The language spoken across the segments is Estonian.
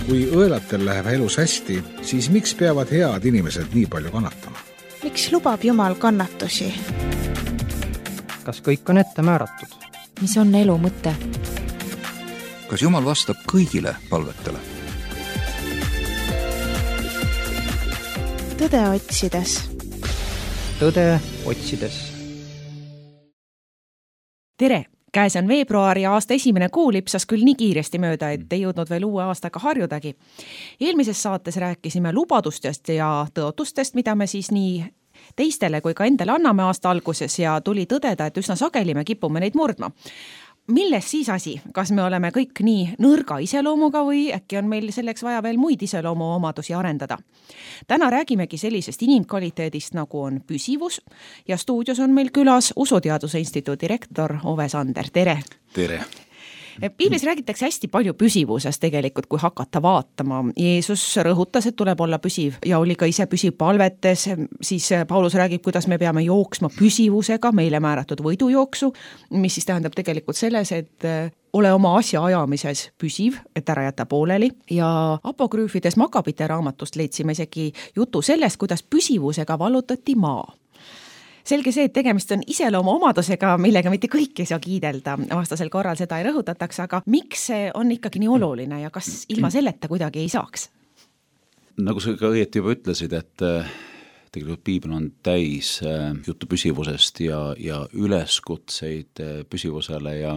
Kui õelatel läheb elus hästi, siis miks peavad head inimesed nii palju kannatama? Miks lubab Jumal kannatusi? Kas kõik on ette määratud? Mis on elu mõte? Kas Jumal vastab kõigile palvetele? Tõde otsides. Tõde otsides. Tere! Käes on veebruar ja aasta esimene kuu lipsas küll nii kiiresti mööda, et ei jõudnud veel uue aastaga harjudagi. Eelmises saates rääkisime lubadustest ja tõotustest, mida me siis nii teistele kui ka endale anname aasta alguses ja tuli tõdeda, et üsna sageli me kipume neid murdma. Milles siis asi? Kas me oleme kõik nii nõrga iseloomuga või äkki on meil selleks vaja veel muid iseloomu omadusi arendada? Täna räägimegi sellisest inimkvaliteedist, nagu on püsivus ja stuudios on meil külas Usuteaduse Instituudi rektor Ove Sander. Tere! Tere! Piiblis räägitakse hästi palju püsivusest tegelikult, kui hakata vaatama. Jeesus rõhutas, et tuleb olla püsiv ja oli ka ise püsiv palvetes. Siis Paulus räägib, kuidas me peame jooksma püsivusega, meile määratud võidujooksu, mis siis tähendab tegelikult selles, et ole oma asja ajamises püsiv, et ära jätta pooleli. Ja apokrüüfides Makabite raamatust leidsime isegi jutu sellest, kuidas püsivusega vallutati maa. Selge see, et tegemist on iseloomu omadusega, millega mitte kõik ei saa kiidelda. Vastasel korral seda ei rõhutataks, aga miks see on ikkagi nii oluline ja kas ilma selleta kuidagi ei saaks? Nagu sa ka õieti juba ütlesid, et tegelikult Piibel on täis juttu püsivusest ja üleskutseid püsivusele ja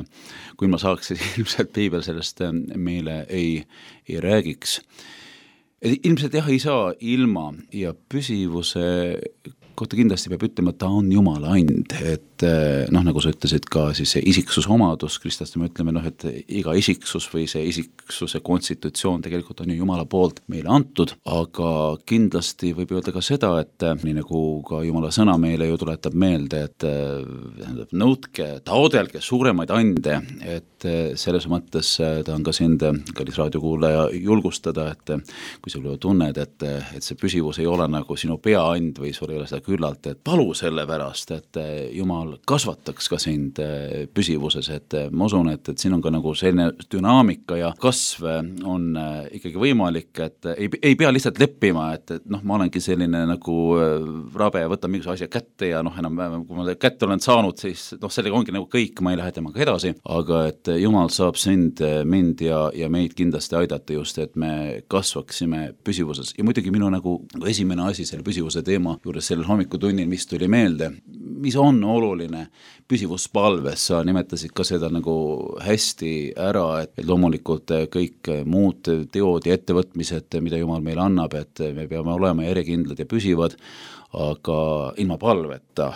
kui ma saaks, siis ilmselt Piibel sellest meile ei räägiks. Ilmselt jah, ei saa ilma ja püsivuse kohta kindlasti peab ütlema, et ta on Jumala and, et nagu sa ütlesid ka siis see isiksuse omadus, kristlaste me ütleme, et iga isiksus või see isiksuse konstitutsioon tegelikult on ju Jumala poolt meile antud, aga kindlasti võib öelda ka seda, et nii nagu ka Jumala sõna meile ju tuletab meelde, et nõudke, taodelge suuremaid ande, et selles mõttes ta on ka sind, kallis raadiokuulaja, julgustada, et kui sa tunned, et see püsivus ei ole nagu sinu peaand või sul ei ole seda küllalt, et palu selle pärast, et Jumal kasvataks ka sind püsivuses, et ma usun, et siin on ka nagu selline dünaamika ja kasv on ikkagi võimalik, et ei pea lihtsalt leppima, et ma olengi selline nagu rabe ja võtan mingisuguse asja kätte ja enam kui ma kätte olen saanud, siis sellega ongi nagu kõik, ma ei lähe temaga edasi, aga et Jumal saab sind, mind ja meid kindlasti aidata just, et me kasvaksime püsivuses ja muidugi minu nagu esimene asi selle püsivuse teema juures sellel hommikutunnil, mis tuli meelde, mis on oluline püsivuspalves, sa nimetasid ka seda nagu hästi ära, et loomulikult kõik muud teod ja ettevõtmised, mida Jumal meile annab, et me peame olema järjekindlad ja püsivad, aga ilma palveta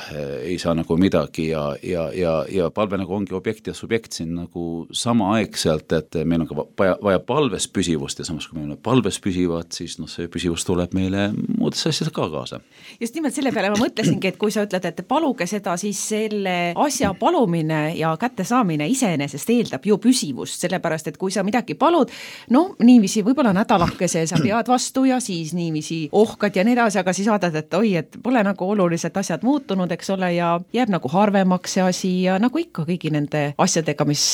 ei saa nagu midagi ja palve nagu ongi objekt ja subjekt siin nagu samaaegselt, et meil on ka vaja palves püsivust ja samas kui meil on palves püsivad, siis see püsivus tuleb meile muudesse asjades ka kaasa. Just nimelt selle peale ma mõtlesingi, et kui sa ütled, et paluge seda, siis selle asja palumine ja kättesaamine iseenesest eeldab ju püsivust, sellepärast, et kui sa midagi palud, niiviisi võib-olla nädalakese sa pead vastu ja siis niiviisi ohkad ja nii edasi, aga siis vaatad, et oi, et pole nagu oluliselt asjad muutunud, eks ole, ja jääb nagu harvemaks see asi ja nagu ikka kõigi nende asjadega, mis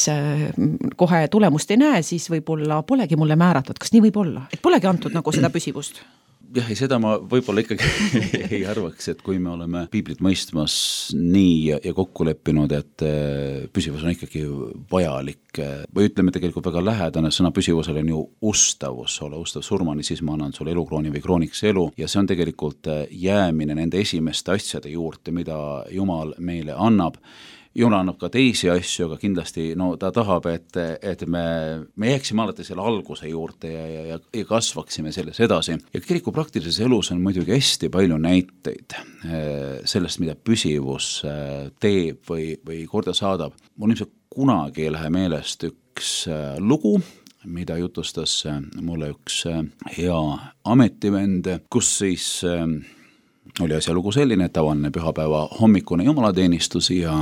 kohe tulemust ei näe, siis võib-olla polegi mulle määratud. Kas nii võib olla? Et polegi antud nagu seda püsivust? Jah, ja seda ma võib-olla ikkagi ei arvaks, et kui me oleme piiblit mõistmas nii ja kokku leppinud, et püsivus on ikkagi vajalik või ütleme tegelikult väga lähedane sõna püsivusel on ju ustavus, ole ustav surmani, siis ma annan sulle elukrooni või krooniks elu ja see on tegelikult jäämine nende esimeste asjade juurde, mida Jumal meile annab. Jumal annab ka teisi asju, aga kindlasti ta tahab, et me jääksime alati selle alguse juurde ja kasvaksime selles edasi. Ja kiriku praktilises elus on muidugi hästi palju näiteid sellest, mida püsivus teeb või korda saadab. Mul ilmselt kunagi ei lähe meelest üks lugu, mida jutustas mulle üks hea ametivend, kus siis oli asjalugu selline, tavaline pühapäeva hommikune jumalateenistus ja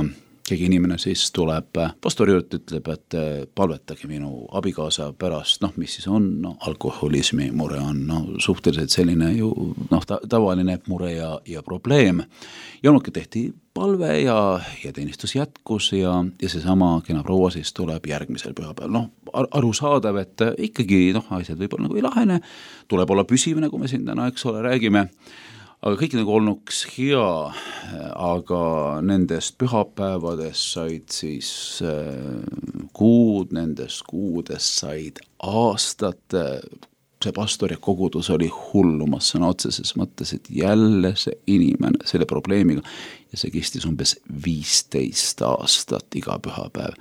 keegi inimene siis tuleb pastori juurde, ütleb, et palvetage minu abikaasa pärast, mis siis on, alkoholismi mure on, suhteliselt selline ju, tavaline mure ja probleem. Ja tehti palve ja teenistus jätkus ja seesama kena proua siis tuleb järgmisel pühapäeval. Arusaadav, et ikkagi asjad võib-olla nagu ei lahene, tuleb olla püsiv, nagu me siin täna, eks ole, räägime, aga kõik nagu olnuks hea, aga nendest pühapäevadest said siis kuud, nendest kuudest said aastad, see pastor ja kogudus oli hullumas sõna otseses mõttes, et jälle see inimene selle probleemiga ja see kestis umbes 15 aastat iga pühapäev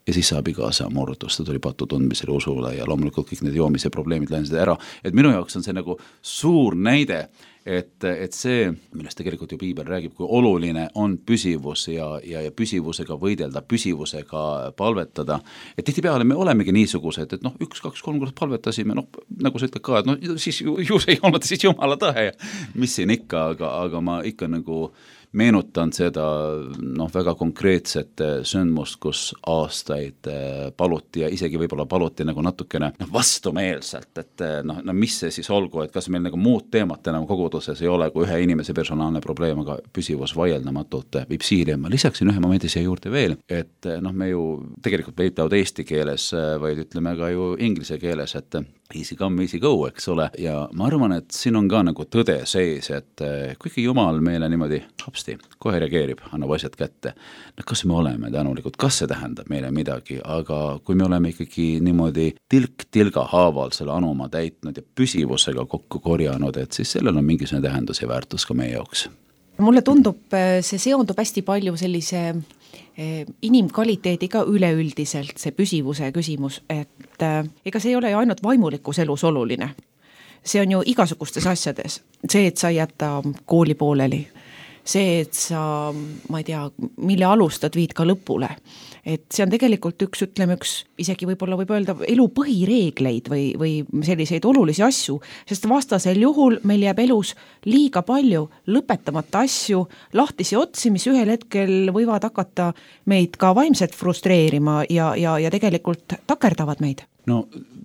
ja siis saab igasa murdus, ta tuli patu tundmisele usule ja loomulikult kõik need joomise probleemid lähensid ära, et minu jaoks on see nagu suur näide, et see, millest tegelikult ju piibel räägib, kui oluline on püsivus ja püsivusega võidelda, püsivusega palvetada, et tihtipeale me olemegi niisugused, et 1, 2, 3 korda palvetasime, nagu sa ütled ka, et siis ju see ei olnud siis Jumala tahe ja mis siin ikka, aga ma ikka nagu meenutan seda väga konkreetset sündmust, kus aastaid paluti ja isegi võib-olla paluti nagu natukene vastumeelselt, et mis see siis olgu, et kas meil nagu muud teemat enam koguduses ei ole kui ühe inimese personaalne probleem, aga püsivus vaieldamatult viib siili. Ma lisaksin ühe momendi siia juurde veel, et me ju tegelikult ei ütle eesti keeles, vaid ütleme ka ju inglise keeles, et easy come, easy go, eks ole, ja ma arvan, et siin on ka nagu tõde sees, et kuigi Jumal meile niimoodi hopsti, kohe reageerib, annab asjad kätte, kas me oleme tänulikud, kas see tähendab meile midagi, aga kui me oleme ikkagi niimoodi tilk-tilga haaval selle anuma täitnud ja püsivusega kokku korjanud, et siis sellel on mingisugune tähendus ja väärtus ka meie jaoks. Mulle tundub, see seondub hästi palju sellise inimkvaliteediga üleüldiselt, see püsivuse küsimus, et ega see ei ole ju ainult vaimulikus elus oluline. See on ju igasugustes asjades. See, et sa jätta kooli pooleli, see, et sa, ma ei tea, mille alustad, viid ka lõpule. Et see on tegelikult üks isegi võib öelda elu põhireegleid või selliseid olulisi asju, sest vastasel juhul meil jääb elus liiga palju lõpetamata asju, lahtisi otsi, mis ühel hetkel võivad hakata meid ka vaimselt frustreerima ja tegelikult takerdavad meid. No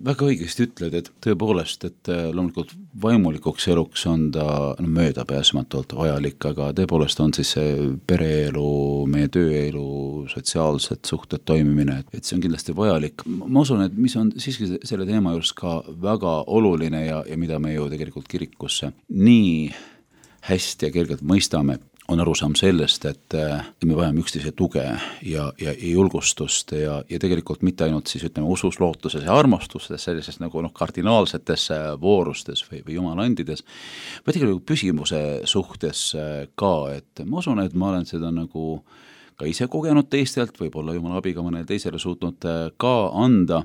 väga õigesti ütled, et tõepoolest, et loomulikult vaimulikuks eluks on ta möödapääsmatult vajalik, aga tõepoolest on siis see pereelu, meie tööelu, sotsiaalsed suhted toimimine, et see on kindlasti vajalik. Ma usun, et mis on siiski selle teema juures ka väga oluline ja mida me ju tegelikult kirikusse nii hästi ja kergelt mõistame, on arusaam sellest, et me vajame üksteise tuge ja julgustust ja tegelikult mitte ainult siis ütleme usus, lootuses ja armastustes, sellises nagu kardinaalsetes voorustes või jumalandides, vaid tegelikult püsivuse suhtes ka, et ma usun, et ma olen seda nagu ka ise kogenud teistelt, võib-olla jumala abiga mõnele teisele suutnud ka anda,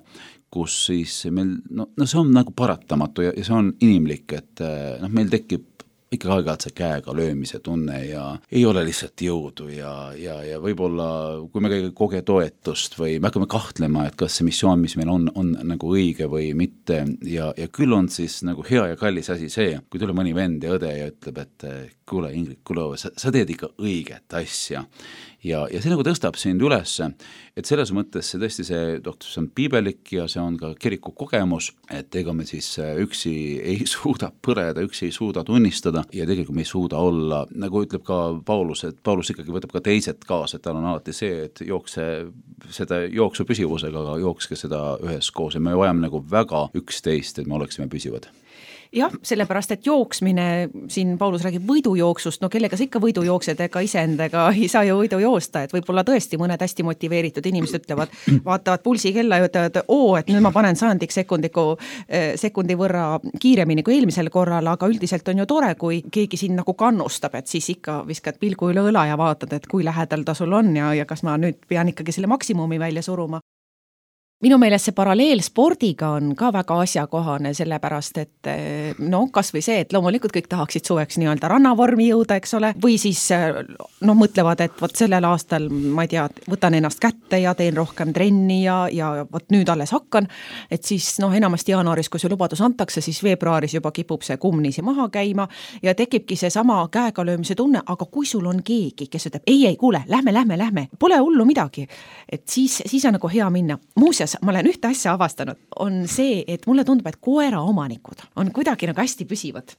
kus siis meil, see on nagu paratamatu ja see on inimlik, et meil tekib ikka aeg-ajalt see käega löömise tunne ja ei ole lihtsalt jõudu ja võib-olla kui me ei koge toetust või me hakkame kahtlema, et kas see missioon, mis meil on nagu õige või mitte ja küll on siis nagu hea ja kallis asi see, kui tuleb mõni vend ja õde ja ütleb, et kuule Ingrid, sa teed ikka õiget asja ja see nagu tõstab sind üles, et selles mõttes see tõesti see on piibelik ja see on ka kiriku kogemus, et ega me siis üksi ei suuda põreda, üksi ei suuda tunnistada ja tegelikult me ei suuda olla, nagu ütleb ka Paulus, et Paulus ikkagi võtab ka teised kaasa, et tal on alati see, et jookse seda jooksu püsivusega, aga jookske seda üheskoos ja me vajame nagu väga üksteist, et me oleksime püsivad. Jah, sellepärast, et jooksmine, siin Paulus räägib võidujooksust, kellega sa ikka võidu jooksed, ega iseendaga ei saa ju võidu joosta, et võib-olla tõesti mõned hästi motiveeritud inimesed ütlevad, vaatavad pulsi kella ja ütlevad, et nüüd ma panen 100 sekundi võrra kiiremini kui eelmisel korral, aga üldiselt on ju tore, kui keegi siin nagu kannustab, et siis ikka viskad pilgu üle õla ja vaatad, et kui lähedal ta sul on ja kas ma nüüd pean ikkagi selle maksimumi välja suruma. Minu meelest see paralleel spordiga on ka väga asjakohane, sellepärast, et kas või see, et loomulikult kõik tahaksid suveks nii-öelda rannavormi jõuda, eks ole, või siis mõtlevad, et võt sellel aastal, ma ei tea, võtan ennast kätte ja teen rohkem trenni ja võt nüüd alles hakkan, et siis enamasti jaanuaris, kui see lubadus antakse, siis veebruaris juba kipub see kummnisi maha käima ja tekibki see sama käega löömise tunne, aga kui sul on keegi, kes ütleb, ei, kuule, lähme, pole hullu midagi, et siis on nagu hea minna. Muuseas, muuseas, ma olen ühte asja avastanud, on see, et mulle tundub, et koera omanikud on kuidagi nagu hästi püsivad.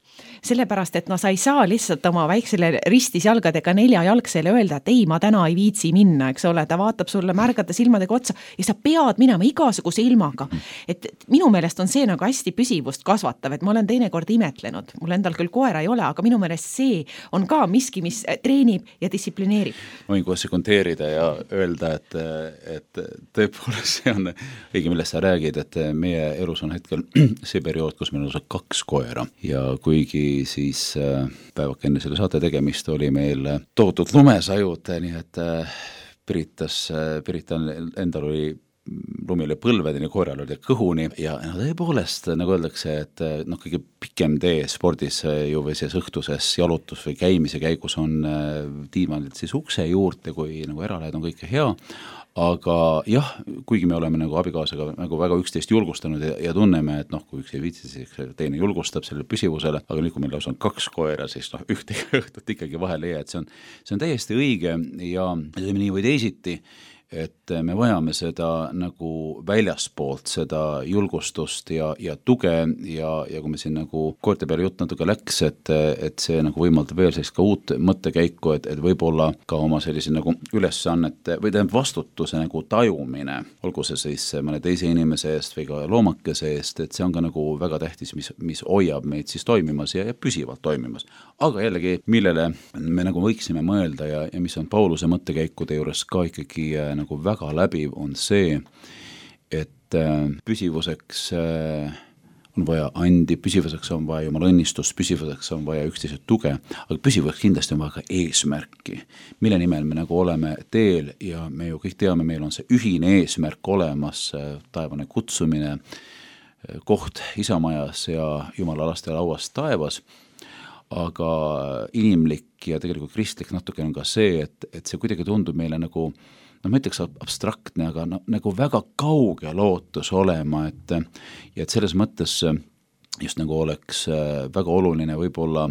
Sellepärast, et sa ei saa lihtsalt oma väiksele ristis jalgadega 4-jalgsele öelda, et ei, ma täna ei viitsi minna, eks ole, ta vaatab sulle märgata silmadega otsa ja sa pead minema igasuguse ilmaga. Et minu meelest on see nagu hästi püsivust kasvatav, et ma olen teinekord imetlenud. Mul endal küll koera ei ole, aga minu meelest see on ka miski, mis treenib ja distsiplineerib. Ma võin kohe sekundeerida ja öelda, et tõepoolest see on õige, millest sa räägid, et meie elus on hetkel see periood, kus meil on 2 koera ja kuigi siis päevak enne selle saate tegemist oli meil tohutud lumesajud, nii et Pirita endal oli lumile põlvedeni, koeral oli kõhuni ja tõepoolest, nagu öeldakse, et kõige pikem tee spordis ju või siis õhtuses jalutus või käimise käigus on tiimalilt siis ukse juurde, kui nagu eralähed on kõike hea, aga jah, kuigi me oleme nagu abikaasaga nagu väga üksteist julgustanud ja tunneme, et kui üks ei viitsi, siis teine julgustab sellele püsivusele, aga nüüd, kui meil on 2 koera, siis ühte õhtut ikkagi vahele ei jää, et see on täiesti õige ja nii või teisiti, et me vajame seda nagu väljaspoolt, seda julgustust ja tuge ja kui me siin nagu koerte peale jutt natuke läks, et see nagu võimaldab veel sellist ka uut mõttekäiku, et võib-olla ka oma sellise nagu ülesannete või vastutuse nagu tajumine, olgu see siis mõne teise inimese eest või ka loomakese eest, et see on ka nagu väga tähtis, mis hoiab meid siis toimimas ja püsivalt toimimas. Aga jällegi, millele me nagu võiksime mõelda ja mis on Pauluse mõttekäikude juures ka ikkagi nagu väga läbiv, on see, et püsivuseks on vaja andi, püsivuseks on vaja Jumala õnnistust, püsivuseks on vaja üksteise tuge, aga püsivuseks kindlasti on vaja ka eesmärki, mille nimel me nagu oleme teel ja me ju kõik teame, meil on see ühine eesmärk olemas, taevane kutsumine, koht isamajas ja Jumala laste lauas taevas, aga inimlik ja tegelikult kristlik natuke on ka see, et see kuidagi tundub meile nagu ma ütleks abstraktne, aga nagu väga kauge lootus olema, et selles mõttes just nagu oleks väga oluline võib-olla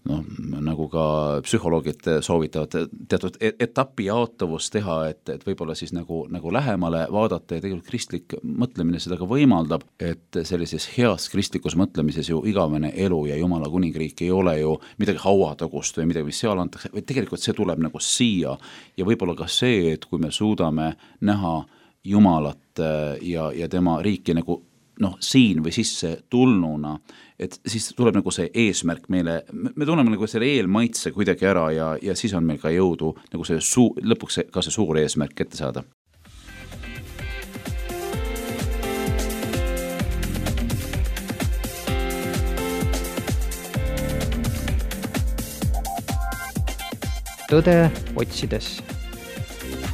nagu ka psühholoogid soovitavad teatud etapi jaotavust teha, et võib-olla siis nagu lähemale vaadata ja tegelikult kristlik mõtlemine seda ka võimaldab, et sellises heas kristlikus mõtlemises ju igavene elu ja Jumala kuningriik ei ole ju midagi hauatagust või midagi, mis seal antakse, või tegelikult see tuleb nagu siia ja võib-olla ka see, et kui me suudame näha Jumalat ja tema riiki nagu siin või sisse tulnuna, et siis tuleb nagu see eesmärk meile, me tunneme nagu selle eelmaitse kuidagi ära ja siis on meil ka jõudu nagu see lõpuks ka see suur eesmärk ette saada. Tõde otsides.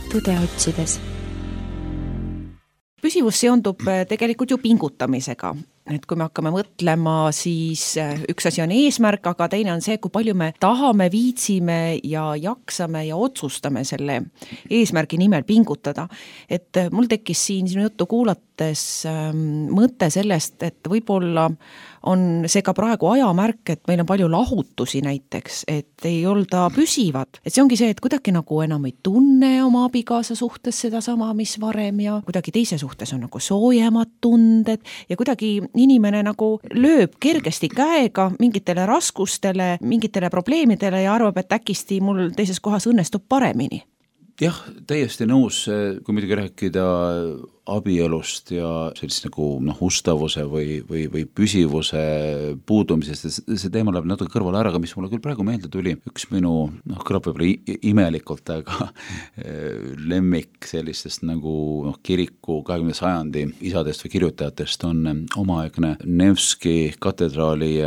Tõde otsides. Püsivus seondub tegelikult ju pingutamisega, et kui me hakkame mõtlema, siis üks asi on eesmärk, aga teine on see, kui palju me tahame, viitsime ja jaksame ja otsustame selle eesmärgi nimel pingutada. Et mul tekkis siin sinu juttu kuulates mõte sellest, et võib-olla on see ka praegu ajamärk, et meil on palju lahutusi näiteks, et ei olda püsivad. Et see ongi see, et kuidagi nagu enam ei tunne oma abikaasa suhtes seda sama, mis varem ja kuidagi teise suhtes on nagu soojemad tunded ja kuidagi inimene nagu lööb kergesti käega mingitele raskustele, mingitele probleemidele ja arvab, et äkisti mul teises kohas õnnestub paremini. Jah, täiesti nõus, kui muidugi rääkida abielust ja sellist nagu ustavuse või püsivuse puudumisest, see teema läheb natuke kõrvale ära, aga mis mulle küll praegu meelde tuli, üks minu, kõlab võib-olla imelikult, aga lemmik sellistest nagu kiriku 20. sajandi isadest või kirjutajatest on omaaegne Nevski katedraali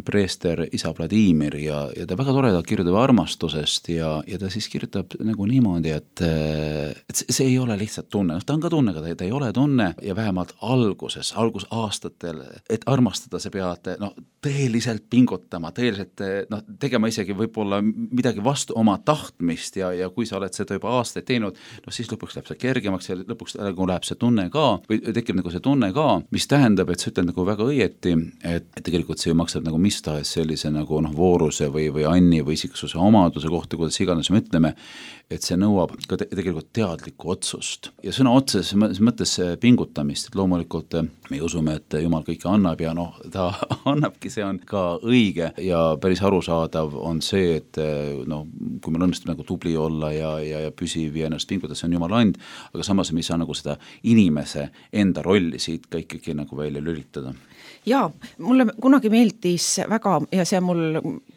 preester isa Vladimir ja ta väga toredalt kirjutab armastusest ja ta siis kirjutab nagu niimoodi, et see ei ole lihtsalt tunne, ta on ka tunne, aga ta ei ole tunne ja vähemalt algusaastatel, et armastada sa pead tõeliselt pingutama, tõeliselt tegema isegi võib-olla midagi vastu oma tahtmist ja kui sa oled seda juba aastaid teinud, siis lõpuks läheb see kergemaks ja lõpuks läheb see tunne ka või tekib nagu see tunne ka, mis tähendab, et sa ütled nagu väga õieti, et tegelikult see maksab nagu mis tahes sellise nagu vooruse või anni või isiksuse omaduse kohta, kuidas iganes me ütleme, et see nõuab ka tegelikult teadlikku otsust ja sõna otseses mõttes pingutamist, et loomulikult me usume, et Jumal kõike annab ja ta annabki, see on ka õige ja päris arusaadav on see, et kui meil õnnestub nagu tubli olla ja püsiv ja ennast pingutada, see on Jumala and, aga samas me ei saa nagu seda inimese enda rolli siit ka ikkagi nagu välja lülitada. Jaa, mulle kunagi meeldis väga, ja see on mul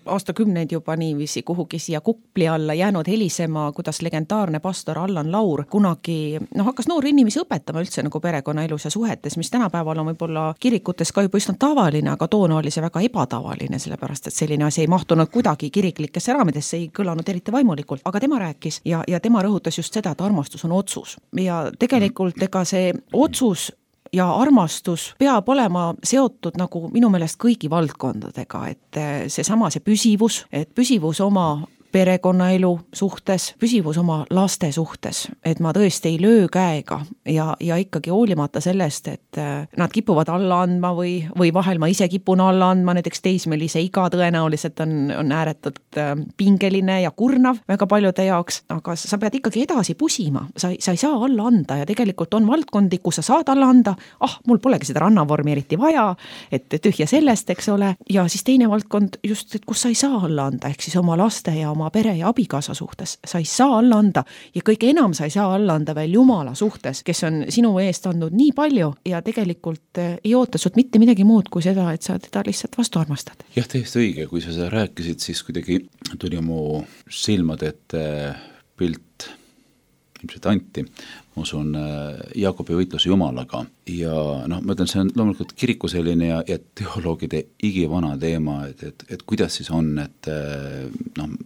aastakümneid juba niiviisi kuhugi siia kupli alla jäänud helisema, kuidas legendaarne pastor Allan Laur kunagi hakkas noori inimesi õpetama üldse nagu perekonnaelus ja suhetes, mis tänapäeval on võib-olla kirikutes ka juba üsna tavaline, aga toona oli see väga ebatavaline, sellepärast et selline asi ei mahtunud kuidagi kiriklikesse raamidesse, ei kõlanud eriti vaimulikult, aga tema rääkis ja tema rõhutas just seda, et armastus on otsus ja tegelikult ega see otsus ja armastus peab olema seotud nagu minu meelest kõigi valdkondadega, et see püsivus oma perekonnaelu suhtes, püsivus oma laste suhtes, et ma tõesti ei löö käega ja ikkagi hoolimata sellest, et nad kipuvad alla andma või vahel ma ise kipun alla andma, näiteks teismelise iga tõenäoliselt on ääretult pingeline ja kurnav väga paljude jaoks, aga sa pead ikkagi edasi pusima, sa ei saa alla anda ja tegelikult on valdkondi, kus sa saad alla anda, mul polegi seda rannavormi eriti vaja, et tühja sellest, eks ole, ja siis teine valdkond just, et kus sa ei saa alla anda, ehk siis oma laste ja oma pere ja abikaasa suhtes, sa ei saa alla anda ja kõige enam sa ei saa alla anda veel Jumala suhtes, kes on sinu eest andnud nii palju ja tegelikult ei oota sult mitte midagi muud kui seda, et sa teda lihtsalt vastu armastad. Jah, täiesti õige, kui sa seda rääkisid, siis kuidagi tuli mu silmade ette pilt ilmselt Anti, ma usun Jaakobi võitluse Jumalaga ja ma ütlen, see on loomulikult kiriku selline ja teoloogide igivana teema, et kuidas siis on, et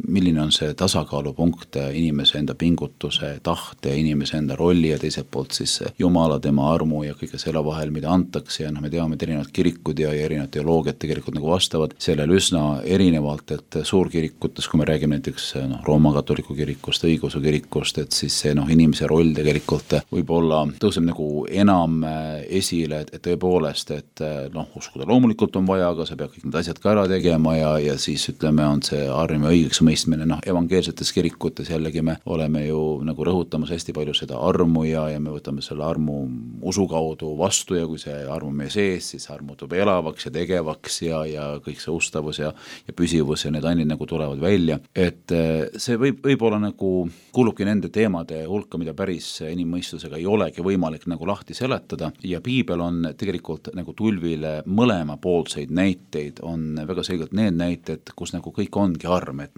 milline on see tasakaalupunkt inimese enda pingutuse, tahte, inimese enda rolli ja teiselt poolt siis Jumala, tema armu ja kõige selle vahel, mida antakse ja me teame, et erinevad kirikud ja erinevad teoloogiad tegelikult nagu vastavad sellele üsna erinevalt, et suurkirikutes, kui me räägime näiteks Rooma katoliku kirikust, õigeusu kirikust, et siis see inimese roll tegelikult võib-olla tõuseb nagu enam esile, et tõepoolest, et uskuda loomulikult on vaja, aga sa pead kõik need asjad ka ära tegema ja siis ütleme, on see arm ja õigeks mõistmine, evangeelsetes kirikutes jällegi me oleme ju nagu rõhutamas hästi palju seda armu ja me võtame selle armu usu kaudu vastu ja kui see arm on meie sees, siis arm muutub elavaks ja tegevaks ja kõik see ustavus ja püsivus ja need ained nagu tulevad välja, et see võib olla nagu kuulubki nende teemade hulka, mida päris inimmõistusega ei olegi võimalik nagu lahti seletada ja piibel on tegelikult nagu tulvile mõlemapoolseid näiteid, on väga selgelt need näited, kus nagu kõik ongi arm, et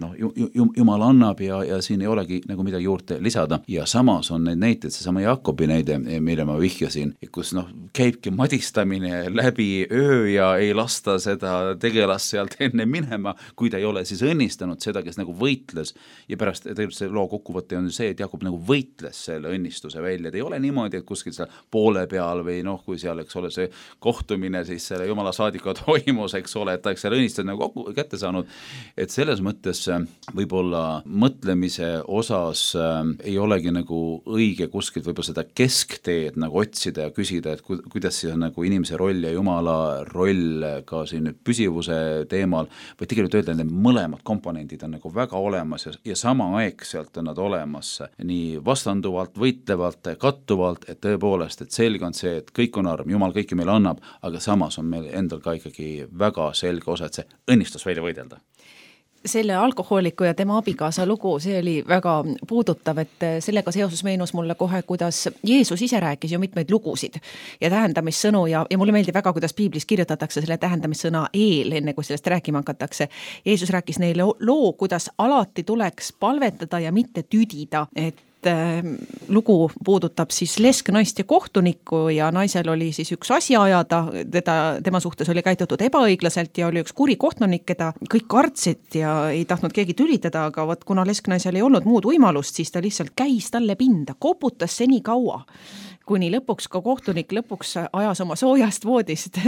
Jumal annab ja siin ei olegi nagu midagi juurde lisada ja samas on neid näiteid, seesama Jaakobi näide, mille ma vihjasin, kus käibki madistamine läbi öö ja ei lasta seda tegelast sealt enne minema, kui ta ei ole siis õnnistanud seda, kes nagu võitles ja pärast tegelikult see loo kokkuvõte on see, et Jaakob nagu võitles selle õnnistuse välja, et ei ole niimoodi, et kuskil seal poole peal või kui seal, eks ole, see kohtumine siis selle Jumala saadikuga toimus, eks ole, et ta selle õnnistuse nagu kätte saanud, et selles mõttes võib-olla mõtlemise osas ei olegi nagu õige kuskilt võib-olla seda keskteed nagu otsida ja küsida, et kuidas siis on nagu inimese roll ja Jumala roll ka siin nüüd püsivuse teemal, vaid tegelikult öelda, et need mõlemad komponendid on nagu väga olemas ja samaaegselt on nad olemas nii vastanduvalt, võitlevalt, kattuvalt, et tõepoolest, et selge on see, et kõik on arm, Jumal kõike meile annab, aga samas on meil endal ka ikkagi väga selge osa, et see õnnistus välja võidelda. Selle alkohooliku ja tema abikaasa lugu, see oli väga puudutav, et sellega seoses meenus mulle kohe, kuidas Jeesus ise rääkis ju mitmeid lugusid ja tähendamissõnu ja mulle meeldib väga, kuidas piiblis kirjutatakse selle tähendamissõna eel, enne kui sellest rääkima hakatakse. Jeesus rääkis neile loo, kuidas alati tuleks palvetada ja mitte tüdida, et lugu puudutab siis lesknaist ja kohtunikku ja naisel oli siis üks asi ajada, tema suhtes oli käitutud ebaõiglaselt ja oli üks kuri kohtunik, keda kõik kartsid ja ei tahtnud keegi tülitada, aga kuna lesknaisel ei olnud muud võimalust, siis ta lihtsalt käis talle pinda, koputas seni kaua, kuni lõpuks ka kohtunik ajas oma soojast voodist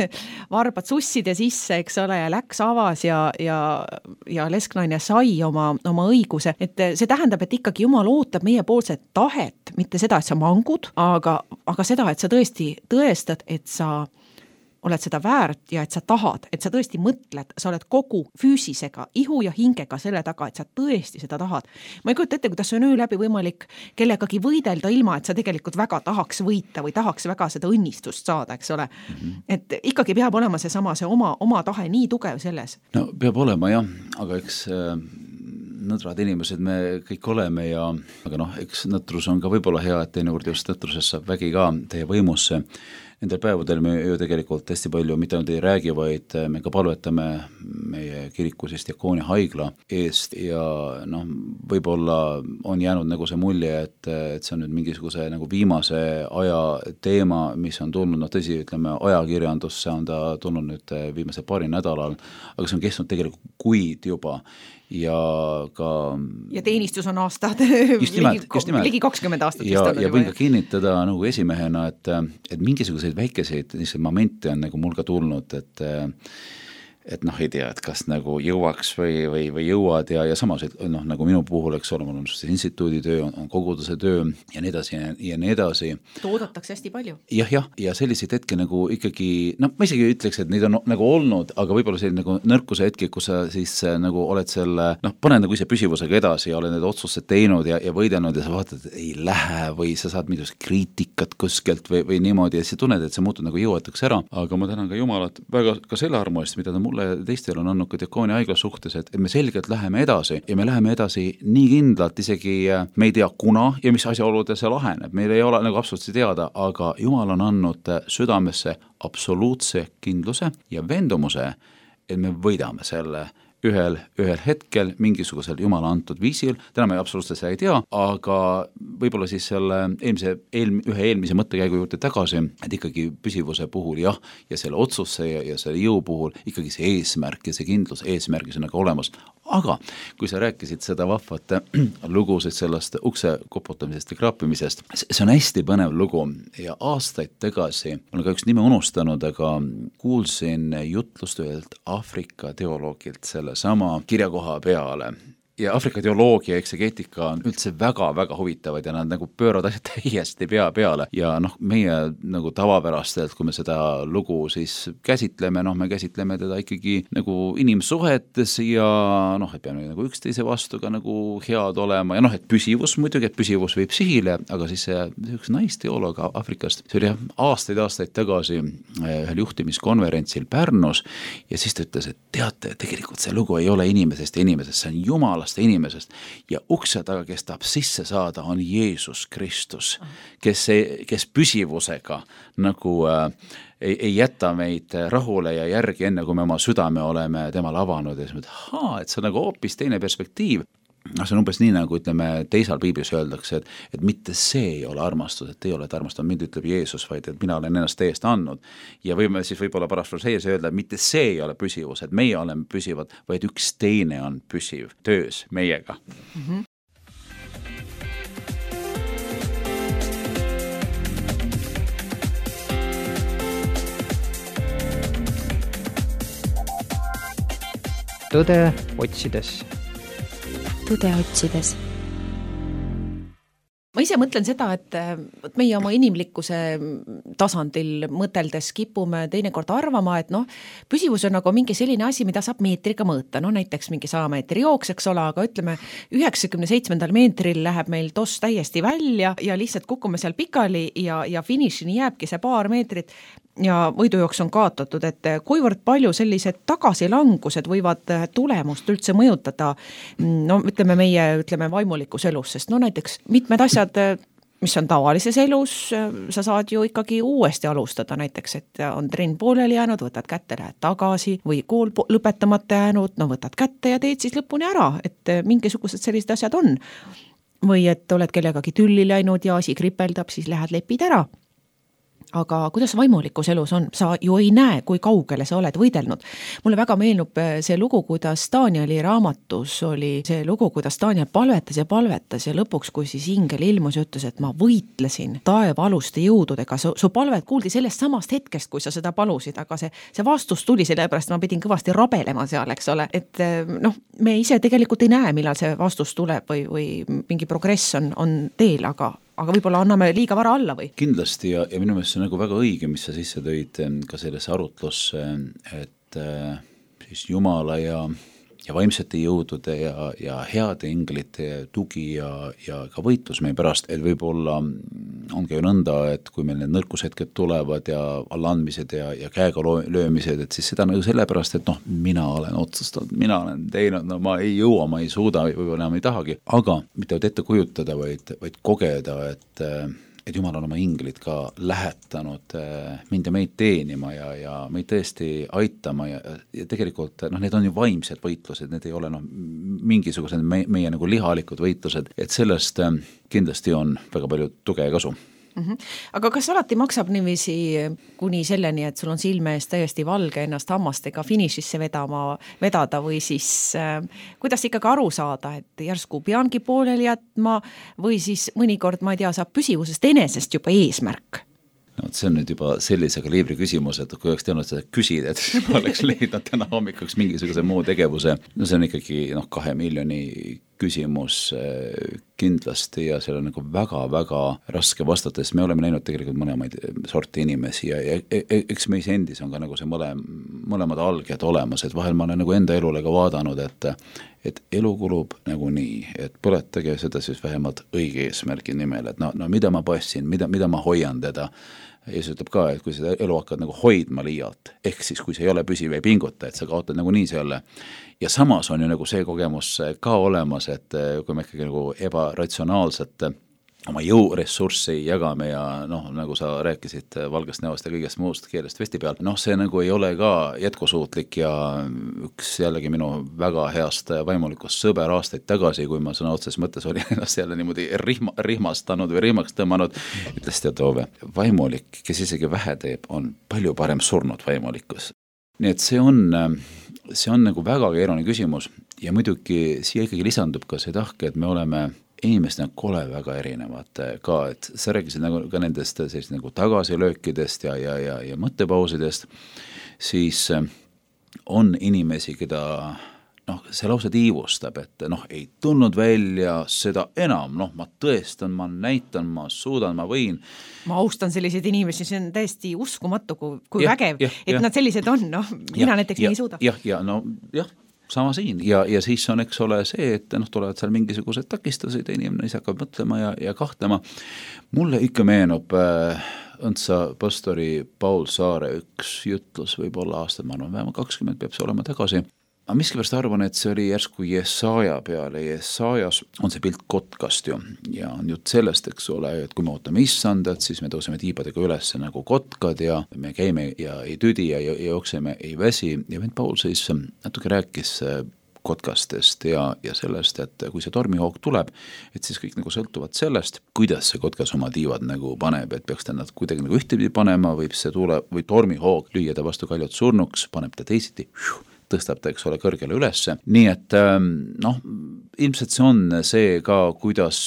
varbad susside sisse, eks ole, ja läks avas ja lesknaine sai oma õiguse. Et see tähendab, et ikkagi Jumal ootab meie poolset tahet, mitte seda, et sa mangud, aga seda, et sa tõesti tõestad, et sa oled seda väärt ja et sa tahad, et sa tõesti mõtled, sa oled kogu füüsisega, ihu ja hingega selle taga, et sa tõesti seda tahad. Ma ei kujuta ette, kuidas on öö läbi võimalik kellegagi võidelda ilma, et sa tegelikult väga tahaks võita või tahaks väga seda õnnistust saada, eks ole. Et ikkagi peab olema see oma tahe nii tugev selles. No peab olema jah, aga eks nõdrad inimesed me kõik oleme aga eks nõtrus on ka võib-olla hea, et teinekord just nõtrusest saab vägi ka teie võimusse. Nendel päevadel me ju tegelikult hästi palju mitte ainult ei räägi, vaid me ka palvetame meie kiriku diakoonia haigla eest ja võib-olla on jäänud nagu see mulje, et see on nüüd mingisuguse nagu viimase aja teema, mis on tulnud, tõsi, ütleme ajakirjandusse on ta tulnud nüüd viimase paari nädalal, aga see on kestnud tegelikult kuid juba ja teenistus on aastad, ligi 20 aastat ja võin ka kinnitada nagu esimehena, et mingisuguseid väikeseid momente on nagu mul ka tulnud, et ei tea, et kas nagu jõuaks või jõuad ja samas, et nagu minu puhul, eks ole, mul on instituudi töö, on koguduse töö ja nii edasi ja nii edasi. Toodatakse hästi palju. Ja selliseid hetki nagu ikkagi, ma isegi ütleks, et neid on nagu olnud, aga võib-olla selline nagu nõrkuse hetki, kus sa siis nagu oled selle, paned nagu ise püsivusega edasi ja oled need otsused teinud ja võidelnud ja sa vaatad, et ei lähe või sa saad midagi kriitikat kuskilt või niimoodi ja sa tunned, et see muutub nagu jõuetuks ära, aga ma tänan ka Jumalat väga ka selle armu eest, mida ta mulle ja teistel on andnud ka diakoonia haigla suhtes, et me selgelt läheme edasi ja me läheme edasi nii kindlalt, isegi me ei tea kuna ja mis asjaolude see laheneb, meil ei ole nagu absoluutselt teada, aga Jumal on andnud südamesse absoluutse kindluse ja veendumuse, et me võidame selle ühel hetkel mingisugusel Jumala antud viisil, täna me absoluutselt seda ei tea, aga võib-olla siis selle ühe eelmise mõttekäigu juurde tagasi, et ikkagi püsivuse puhul ja selle otsuse ja selle jõu puhul ikkagi see eesmärk ja see kindlus eesmärgis on nagu olemas. Aga kui sa rääkisid seda vahvat lugusid sellest ukse koputamisest ja kraapimisest, see on hästi põnev lugu ja aastaid tagasi, ma olen ka üks nime unustanud, aga kuulsin jutlust ühelt Aafrika teoloogilt selle sama kirjakoha peale. Ja Aafrika teoloogia ja eksegeetika on üldse väga-väga huvitavad ja nad nagu pööravad asjad täiesti pea peale ja meie nagu tavapärastelt, kui me seda lugu siis käsitleme, me käsitleme teda ikkagi nagu inimsuhetes ja et peame nagu üksteise vastu ka nagu head olema ja et püsivus muidugi, et püsivus viib sihile, aga siis see üks naisteoloog Aafrikast, see oli aastaid tagasi ühel juhtimiskonverentsil Pärnus ja siis ta ütles, et teate, tegelikult see lugu ei ole inimesest ja inimesest, see on Jumalast inimesest ja ukse taga, kes tahab sisse saada, on Jeesus Kristus, kes püsivusega nagu ei jäta meid rahule ja järgi enne, kui me oma südame oleme temale avanud ja siis et see on nagu hoopis teine perspektiiv. See on umbes nii, nagu ütleme, teisal piiblis öeldakse, et mitte see ei ole armastus, et te olete armastanud, mind ütleb Jeesus, vaid et mina olen ennast teest andnud. Ja võime siis võib-olla parafraseeris öelda, et mitte see ei ole püsivus, et meie oleme püsivad, vaid üks teine on püsiv töös meiega. Tõde otsides. Tõde otsides. Ma ise mõtlen seda, et meie oma inimlikkuse tasandil mõteldes kipume teinekord arvama, et püsivus on nagu mingi selline asi, mida saab meetriga mõõta, näiteks mingi 100 meetri jooks, eks ole, aga ütleme 97. meetril läheb meil toss täiesti välja ja lihtsalt kukume seal pikali ja finišini jääbki see paar meetrit ja võidujooks on kaotatud, et kuivõrd palju sellised tagasilangused võivad tulemust üldse mõjutada, ütleme meie vaimulikus elus, sest näiteks mitmed asjad, mis on tavalises elus, sa saad ju ikkagi uuesti alustada, näiteks, et on trenn pooleli jäänud, võtad kätte, lähed tagasi või kool lõpetamata jäänud, võtad kätte ja teed siis lõpuni ära, et mingisugused sellised asjad on. Või et oled kellegagi tülli läinud ja asi kripeldab, siis lähed lepid ära. Aga kuidas vaimulikus elus on? Sa ju ei näe, kui kaugele sa oled võidelnud. Mulle väga meenub see lugu, kuidas Danieli raamatus oli see lugu, kuidas Daniel palvetas ja lõpuks, kui siis ingel ilmus ja ütles, et ma võitlesin taeva aluste jõududega. Su palvet kuuldi sellest samast hetkest, kui sa seda palusid, aga see vastus tuli, sellepärast ma pidin kõvasti rabelema seal, eks ole. Et me ise tegelikult ei näe, millal see vastus tuleb või mingi progress on teel, aga aga võib-olla anname liiga vara alla või? Kindlasti ja minu meelest see on nagu väga õige, mis sa sisse tõid ka sellesse arutlusse, et siis Jumala ja vaimsete jõudude ja heade inglite tugi ja ka võitlus meie pärast, et võib-olla ongi ju nõnda, et kui meil need nõrkushetked tulevad ja allaandmised ja käega löömised, et siis seda nagu sellepärast, et noh, mina olen otsustanud, mina olen teinud, no ma ei jõua, ma ei suuda, võib-olla enam ei tahagi, aga mitte ette kujutada, vaid kogeda, et Jumal on oma inglid ka lähetanud mind ja meid teenima ja meid tõesti aitama ja tegelikult need on ju vaimsed võitlused, need ei ole mingisugused meie nagu lihalikud võitlused, et sellest kindlasti on väga palju tuge ja kasu. Aga kas alati maksab niiviisi kuni selleni, et sul on silme ees täiesti valge ennast hammastega finišisse vedada või siis kuidas ikkagi aru saada, et järsku peangi pooleli jätma või siis mõnikord, ma ei tea, saab püsivusest enesest juba eesmärk? No, see on nüüd juba sellise kaliibri küsimus, et kui oleks teadnud seda küsida, et ma oleks leidnud täna hommikuks mingisuguse muu tegevuse. No see on ikkagi 2 miljoni küsimus kindlasti ja seal on nagu väga-väga raske vastata, sest me oleme näinud tegelikult mõlemaid sorti inimesi ja eks meis endis on ka nagu see mõlemad alged olemas, et vahel ma olen nagu enda elule ka vaadanud, et elu kulub nagu nii, et põletage seda siis vähemalt õige eesmärgi nimel, et no mida ma passin, mida ma hoian teda. Ja see ütleb ka, et kui seda elu hakkad nagu hoidma liialt, ehk siis kui see ei ole püsiv ei pinguta, et sa kaotad nagu nii selle. Ja samas on ju nagu see kogemus ka olemas, et kui me ikkagi nagu ebaratsionaalselt oma jõuressurssi jagame ja nagu sa rääkisid valgest näost ja kõigest muust keelest vesti peal, see nagu ei ole ka jätkusuutlik ja üks jällegi minu väga heast vaimulikust sõber aastaid tagasi, kui ma sõna otses mõttes olin ennast jälle niimoodi rihmastanud või rihmaks tõmmanud, ütles Teatove, vaimulik, kes isegi vähe teeb, on palju parem surnud vaimulikkus. Nii et see on nagu väga keeruline küsimus ja muidugi siia ikkagi lisandub ka see tahke, et me oleme inimesed kole väga erinevad ka, et sa rääkisid nagu ka nendest sellist nagu tagasilöökidest ja mõttepausidest, siis on inimesi, keda see lausa tiivustab, et ei tulnud välja seda enam, ma tõestan, ma näitan, ma suudan, ma võin. Ma austan selliseid inimesi, see on täiesti uskumatu, kui vägev, et nad sellised on, mina näiteks nii ei suuda. Jah, sama siin ja siis on, eks ole, see, et tulevad seal mingisugused takistused ja inimene ise hakkab mõtlema ja kahtlema. Mulle ikka meenub õndsa pastori Paul Saare üks jutlus võib-olla aastad, ma arvan, vähemalt 20 peab see olema tagasi. Aga miskipärast arvan, et see oli järsku Jesaja peale. Jesajas on see pilt kotkast ju ja on jutt sellest, eks ole, et kui me ootame issandat, siis me tõuseme tiibadega üles nagu kotkad ja me käime ja ei tüdi ja jookseme ei väsi. Ja vend Paul siis natuke rääkis kotkastest ja sellest, et kui see tormihoog tuleb, et siis kõik nagu sõltuvad sellest, kuidas see kotkas oma tiivad nagu paneb, et peaks ta nad kuidagi nagu ühtepidi panema, võib see tule või tormihoog lüüa ta vastu kaljut surnuks, paneb ta teisiti, tõstab ta, eks ole, kõrgele ülesse. Nii et ilmselt see on see ka, kuidas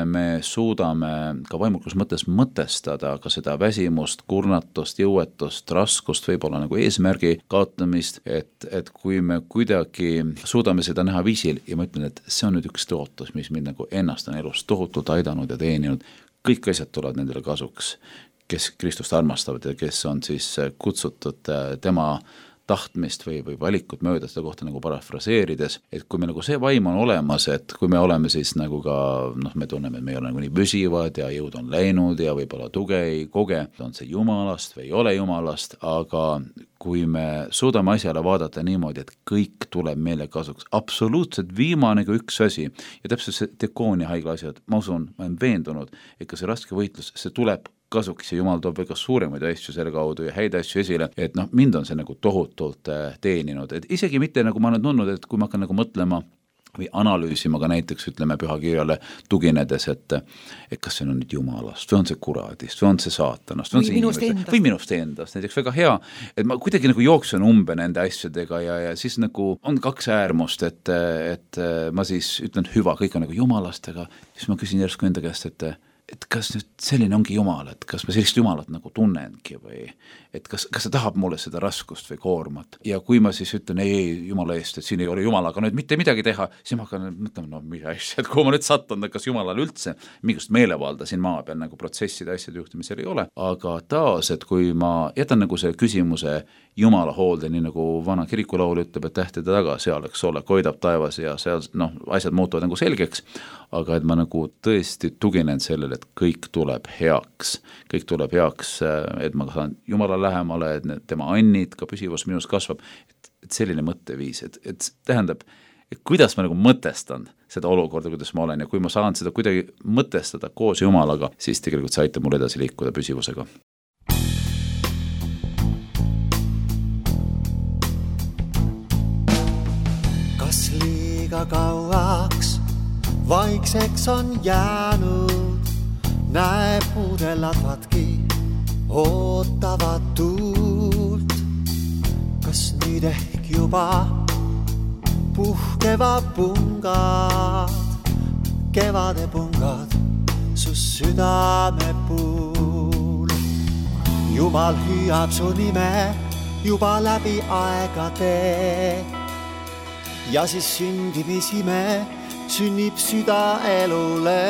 me suudame ka vaimulikus mõttes mõtestada ka seda väsimust, kurnatust, jõuetust, raskust, võib-olla nagu eesmärgi kaotamist, et kui me kuidagi suudame seda näha viisil ja ma ütlen, et see on nüüd üks tõotus, mis mind nagu ennast on elus tohutult aidanud ja teeninud, kõik asjad tulevad nendele kasuks, kes Kristust armastavad ja kes on siis kutsutud tema tahtmist või valikut mööda seda kohta nagu parafraseerides, et kui me nagu see vaim on olemas, et kui me oleme siis nagu ka, me tunneme, et me ei ole nagu nii püsivad ja jõud on läinud ja võib-olla tuge ei koge, on see Jumalast või ei ole Jumalast, aga kui me suudame asjale vaadata niimoodi, et kõik tuleb meile kasuks, absoluutselt viimane kui üks asi ja täpselt see Dekoonia haigla asjad, ma usun, ma olen veendunud, et ka see raske võitlus, see tuleb kasuks ja Jumal toob väga suuremaid asju selle kaudu ja häid asju esile, et mind on see nagu tohutult teeninud, et isegi mitte nagu ma olen tundnud, et kui ma hakkan nagu mõtlema või analüüsima ka näiteks, ütleme, pühakirjale tuginedes, et kas see on nüüd Jumalast või on see kuradist või on see saatanast või minust endast, näiteks väga hea, et ma kuidagi nagu jooksen umbe nende asjadega ja siis nagu on kaks äärmust, et ma siis ütlen hüva, kõik on nagu Jumalast, aga siis ma küsin järsku enda käest, et et kas nüüd selline ongi Jumal, et kas ma sellist Jumalat nagu tunnengi või et kas ta tahab mulle seda raskust või koormat. Ja kui ma siis ütlen ei Jumala eest, et siin ei ole Jumalaga nüüd mitte midagi teha, siis ma hakkan mõtlema, no mida asja, et kui ma nüüd sattunud, kas Jumalal üldse mingust meelevalda siin maa peal nagu protsesside asjade juhtimisel ei ole, aga taas, et kui ma jätan nagu see küsimuse Jumala hoolde, nii nagu vana kirikulaul ütleb, et tähtede taga seal, eks ole, koidab taevas ja seal asjad muutuvad nagu selgeks, aga et ma nagu tõesti tuginen sellele, et kõik tuleb heaks, et ma saan Jumala lähemale, et tema annid, ka püsivus minus kasvab, et selline mõtteviis, et tähendab, et kuidas ma nagu mõtestan seda olukorda, kuidas ma olen ja kui ma saan seda kuidagi mõtestada koos Jumalaga, siis tegelikult see aitab mul edasi liikuda püsivusega. Kas liiga kauaks vaikseks on jäänud, näeb puudeladvadki ootavad tuult. Kas nüüd ehk juba puhkeva pungad, kevade pungad su südame puul. Jumal hüüab su nime juba läbi aegade ja siis sündimisime sünnib süda elule.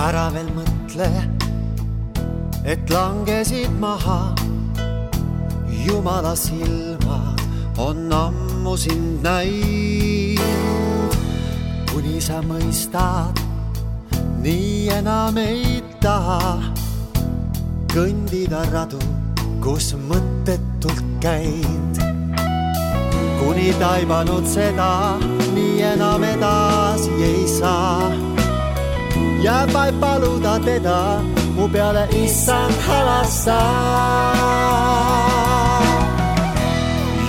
Ära veel mõtle, et langesid maha, Jumala silmad on ammu sind näinud. Kuni sa mõistad, nii enam ei taha kõndida radu, kus mõttetult käid. Kuni taibanud seda, nii enam edasi ei saa. Jääb vaid paluda teda, mu peale issand halasta.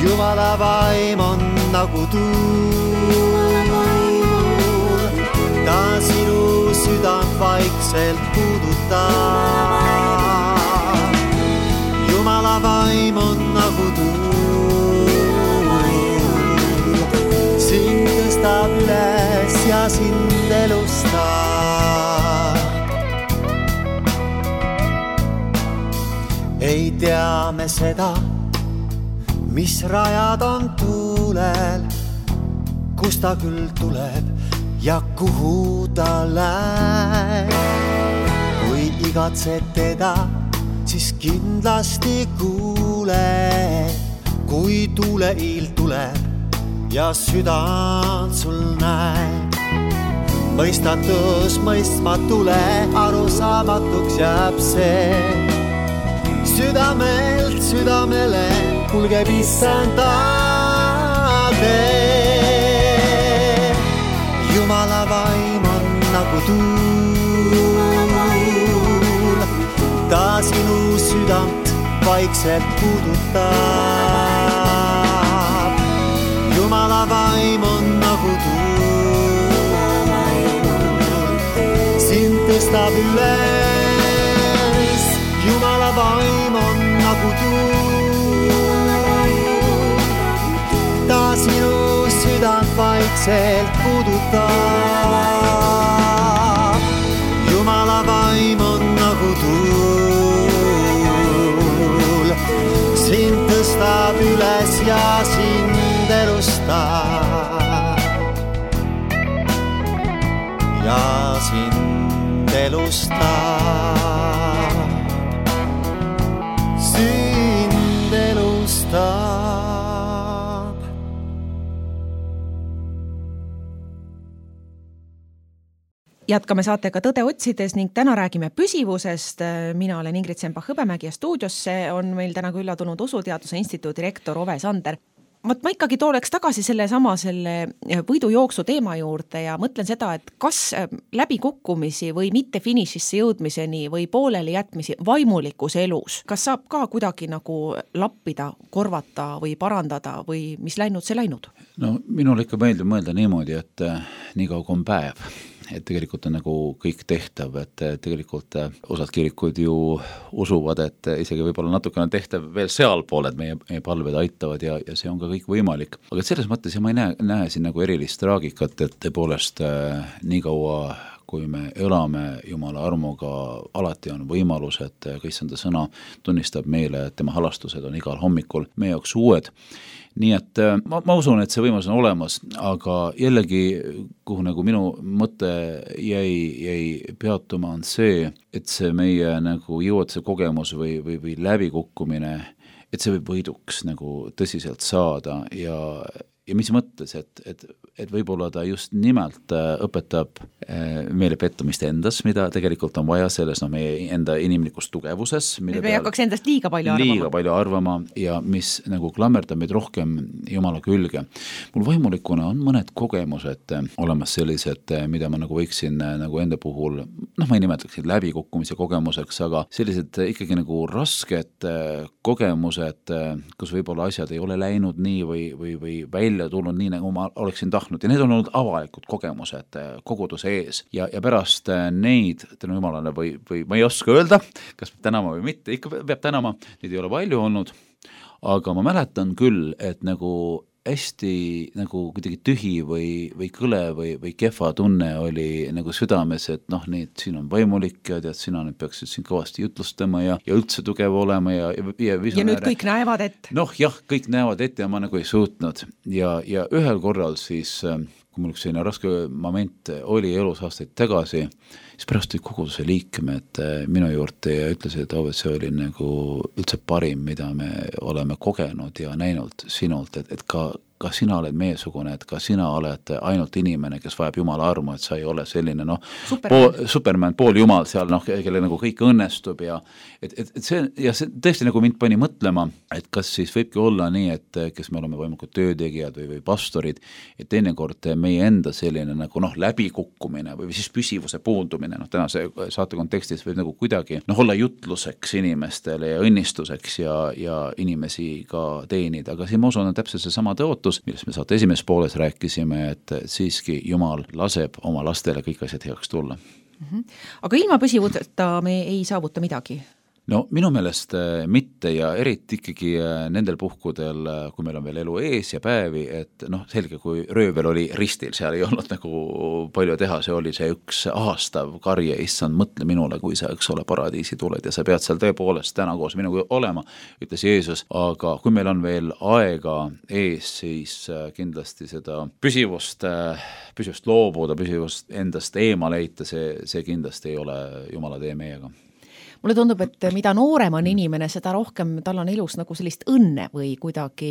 Jumala vaim on nagu tuul, ta sinu südant vaikselt puudutab. Jumala vaim on nagu tuul, sind tõstab üles ja sind elustab. Ei tea me seda, mis rajad on tuulel, kus ta küll tuleb ja kuhu ta läheb. Kui igatsed teda, siis kindlasti kuule, kui tuuleiil tuleb ja südant sul näeb. Mõistatus mõistmatule, arusaamatuks jääb see. Südamelt südamele kulgeb issand tee. Jumala vaim on nagu tuul, ta sinu südant vaikselt puudutab. Jumala vaim on nagu tuul, sind tõstab üles. Jumala vaim on nagu tuul, ta sinu südant vaikselt puudutab. Jumala vaim on nagu tuul, sind tõstab üles ja sind elustab. Ja sind elustab. Sind elustab. Jätkame saatega Tõde otsides ning täna räägime püsivusest. Mina olen Ingrid Sembach-Hõbemägi ja stuudiosse on meil täna külla tulnud Usuteaduse Instituudi rektor Ove Sander. Ma ikkagi tooleks tagasi selle võidujooksu teema juurde ja mõtlen seda, et kas läbikukkumisi või mitte finišisse jõudmiseni või pooleli jätmisi vaimulikus elus, kas saab ka kuidagi nagu lappida, korvata või parandada või mis läinud, see läinud? No minul ikka meeldib mõelda niimoodi, et nii kaua kui on päev, et tegelikult on nagu kõik tehtav, et tegelikult osad kirikud ju usuvad, et isegi võib-olla natukene tehtav veel sealpool, et meie palved aitavad ja see on ka kõik võimalik. Aga selles mõttes ma ei näe siin nagu erilist traagikat, et tõepoolest nii kaua kui me elame Jumala armuga, alati on võimalus, et Kristenda sõna tunnistab meile, et tema halastused on igal hommikul meie jaoks uued. Nii et ma usun, et see võimalus on olemas, aga jällegi, kuhu nagu minu mõte jäi peatuma, on see, et see meie nagu jõuatuse kogemus või läbikukkumine, et see võib võiduks nagu tõsiselt saada ja mis mõttes, et võib-olla ta just nimelt õpetab meile pettumist endas, mida tegelikult on vaja selles meie enda inimlikus tugevuses. Me ei hakkaks endast liiga palju arvama ja mis nagu klammerdab meid rohkem Jumala külge. Mul vaimulikuna on mõned kogemused olemas sellised, mida ma nagu võiksin nagu enda puhul, ma ei nimetaks läbikukkumise kogemuseks, aga sellised ikkagi nagu rasked kogemused, kus võib-olla asjad ei ole läinud nii või välja tulnud nii, nagu ma oleksin tahtnud ja need on olnud avalikud kogemused koguduse ees ja pärast neid tänu Jumalale või ma ei oska öelda, kas peab tänama või mitte, ikka peab tänama, neid ei ole palju olnud, aga ma mäletan küll, et nagu hästi nagu kuidagi tühi või kõle või kehva tunne oli nagu südames, et siin on vaimulik ja tead, sina nüüd peaksid siin kõvasti jutlustama ja üldse tugev olema ja nüüd kõik näevad ette. Kõik näevad ette ja ma nagu ei suutnud ja ühel korral siis, kui mul üks selline raske moment oli elus aastaid tagasi, siis pärast olid koguduse liikmed minu juurde ja ütlesid, et see oli nagu üldse parim, mida me oleme kogenud ja näinud sinult, et ka sina oled meesugune, et ka sina oled ainult inimene, kes vajab Jumala armu, et sa ei ole selline Superman, pool Jumal seal, kelle nagu kõik õnnestub ja see tõesti nagu mind pani mõtlema, et kas siis võibki olla nii, et kes me oleme võimalikud töötegijad või pastorid, et teinekord meie enda selline nagu läbikukkumine või siis püsivuse puudumine, tänase saate kontekstis võib nagu kuidagi olla jutluseks inimestele ja õnnistuseks ja inimesi ka teenida, aga siin ma usun, on täpselt see sama tõotus, millest me saate esimeses pooles rääkisime, et siiski Jumal laseb oma lastele kõik asjad heaks tulla. Aga ilma püsivuseta me ei saavuta midagi? No minu meelest mitte ja eriti ikkagi nendel puhkudel, kui meil on veel elu ees ja päevi, et selge, kui röövel oli ristil, seal ei olnud nagu palju teha, see oli see üks aastav karje, issand, mõtle minule, kui sa, eks ole, paradiisi tuled ja sa pead seal tõepoolest täna koos minuga olema, ütles Jeesus, aga kui meil on veel aega ees, siis kindlasti seda püsivust loobuda, püsivust endast eemale heita, see kindlasti ei ole Jumala tee meiega. Mulle tundub, et mida noorem on inimene, seda rohkem tal on elus nagu sellist õnne või kuidagi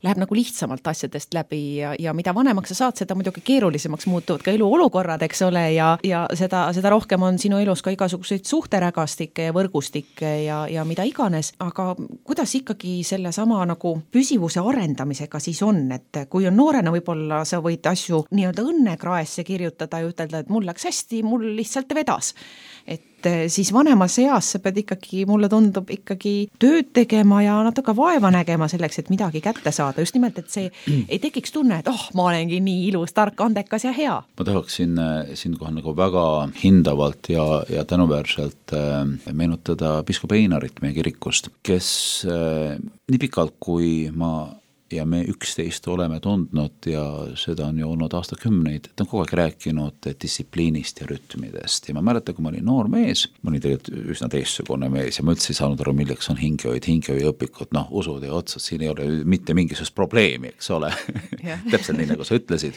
läheb nagu lihtsamalt asjadest läbi ja mida vanemaks sa saad, seda muidugi keerulisemaks muutuvad ka eluolukorrad, eks ole, ja seda rohkem on sinu elus ka igasuguseid suhterägastikke ja võrgustikke ja mida iganes, aga kuidas ikkagi selle sama nagu püsivuse arendamisega siis on, et kui on noorena võib-olla sa võid asju nii-öelda õnnekraesse kirjutada ja ütelda, et mul läks hästi, mul lihtsalt vedas, et siis vanemas eas sa pead ikkagi, mulle tundub, ikkagi tööd tegema ja natuke vaeva nägema selleks, et midagi kätte saada. Just nimelt, et see ei tekiks tunne, et ma olengi nii ilus, tark, andekas ja hea. Ma tahaksin siinkohal nagu väga hindavalt ja tänuväärselt meenutada piiskop Einarit meie kirikust, kes nii pikalt, kui ja me 11 oleme tundnud ja seda on ju olnud aastakümneid, ta on kogu aeg rääkinud distsipliinist ja rütmidest ja ma mäletan, kui ma olin noor mees, ma olin tegelikult üsna teistsugune mees ja ma üldse ei saanud aru, milleks on hingehoiõpikud, usud ja otsad, siin ei ole mitte mingisugust probleemi, eks ole, täpselt nii, nagu sa ütlesid.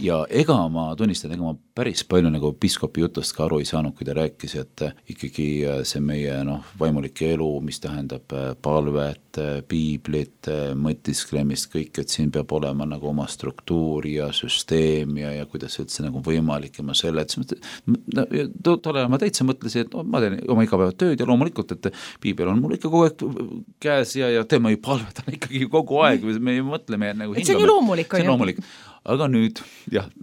ja ega ma tunnistan, ega ma päris palju nagu piiskopi jutust ka aru ei saanud, kui ta rääkis, et ikkagi see meie vaimulike elu, mis tähendab palvet, piiblit, mõtisklemist, kõik, et siin peab olema nagu oma struktuur ja süsteem ja kuidas üldse nagu võimalik ja ma selle, et tolle ma täitsa mõtlesin, et ma teen oma igapäevad tööd ja loomulikult, et piibel on mul ikka kogu aeg käes ja tema ju palvetan ikkagi kogu aeg, me mõtleme nagu see on ju loomulik, see on loomulik. Aga nüüd,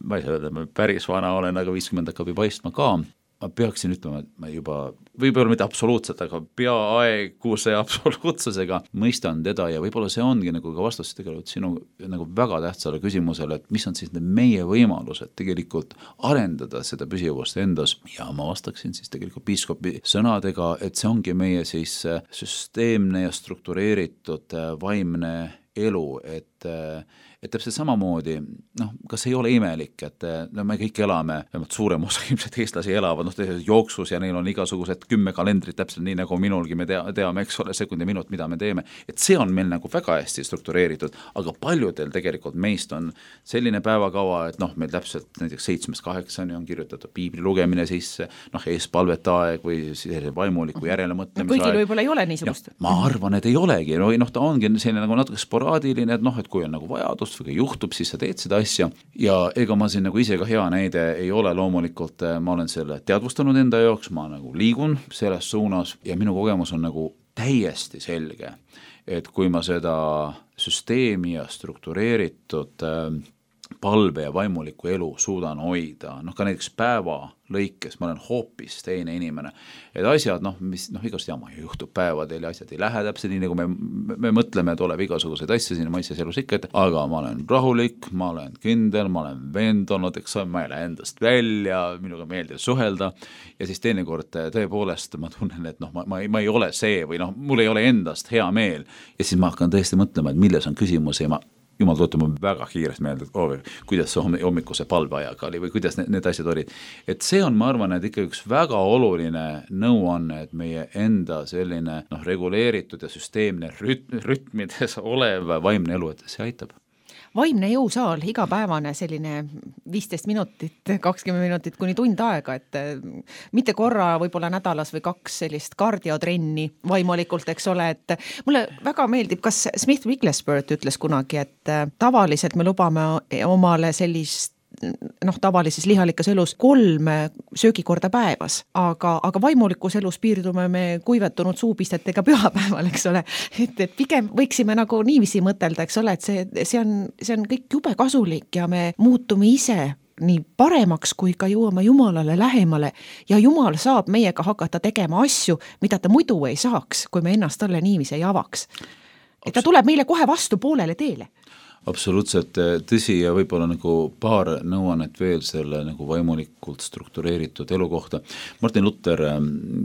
ma ei saa öelda, ma päris vana olen, aga 50 hakkab ju paistma ka, ma peaksin ütlema, et ma juba, võib-olla mitte absoluutselt, aga peaaegu see absoluutsusega mõistan teda ja võib-olla see ongi nagu ka vastus tegelikult sinu nagu väga tähtsale küsimusele, et mis on siis meie võimalused tegelikult arendada seda püsivust endas ja ma vastaksin siis tegelikult piiskopi sõnadega, et see ongi meie siis süsteemne ja struktureeritud vaimne elu, et täpselt samamoodi, kas ei ole imelik, et me kõik elame, suurem osa ilmselt eestlasi elavad, jooksus ja neil on igasugused 10 kalendrit täpselt nii nagu minulgi, me teame, eks ole, sekund ja minut, mida me teeme, et see on meil nagu väga hästi struktureeritud, aga paljudel tegelikult meist on selline päevakava, et meil täpselt näiteks 7-8 on kirjutatud piibli lugemine sisse, eespalvetaeg või vaimuliku järelemõtlemise aeg. Kõigil võib-olla ei ole niisugust. Ma arvan, et ei olegi, ta ongi selline nagu natuke sporaadiline, et kui on nagu vajadus või juhtub, siis sa teed seda asja ja ega ma siin nagu ise ka hea näide ei ole loomulikult, ma olen selle teadvustanud enda jaoks, ma nagu liigun selles suunas ja minu kogemus on nagu täiesti selge, et kui ma seda süsteemi ja struktureeritud palve ja vaimuliku elu suudan hoida, ka näiteks päeva lõikes, ma olen hoopis teine inimene, et asjad, mis igast jama juhtub päevadel ja asjad ei lähe täpselt nii, nagu me mõtleme, et oleb igasuguseid asju siin mõistes elus ikka, aga ma olen rahulik, ma olen kindel, ma olen veendunud, eks ma ei lähe endast välja, minuga meeldib suhelda ja siis teinekord tõepoolest ma tunnen, et ma ei ole see või mul ei ole endast hea meel ja siis ma hakkan tõesti mõtlema, et milles on küsimus ja jumal tuletab mul väga kiiresti meelde, et kuidas see hommikuse palveajaga oli või kuidas need asjad olid. Et see on, ma arvan, et ikka üks väga oluline nõuanne, et meie enda selline reguleeritud ja süsteemne rütmides olev vaimne elu, et see aitab. Vaimne jõusaal, igapäevane selline 15 minutit, 20 minutit kuni tund aega, et mitte korra võib-olla nädalas või 2 sellist kardiotrenni vaimulikult, eks ole, et mulle väga meeldib, kas Smith Wigglesworth ütles kunagi, et tavaliselt me lubame omale sellist tavalises lihalikes elus 3 söögikorda päevas, aga vaimulikus elus piirdume me kuivetunud suupistetega pühapäeval, eks ole, et pigem võiksime nagu niiviisi mõtelda, eks ole, et see on kõik jube kasulik ja me muutume ise nii paremaks, kui ka jõuame Jumalale lähemale ja Jumal saab meiega hakata tegema asju, mida ta muidu ei saaks, kui me ennast talle niiviisi ei avaks. Et ta tuleb meile kohe vastu poolele teele. Absoluutselt tõsi ja võib-olla nagu paar nõuannet veel selle nagu vaimulikult struktureeritud elu kohta. Martin Luther,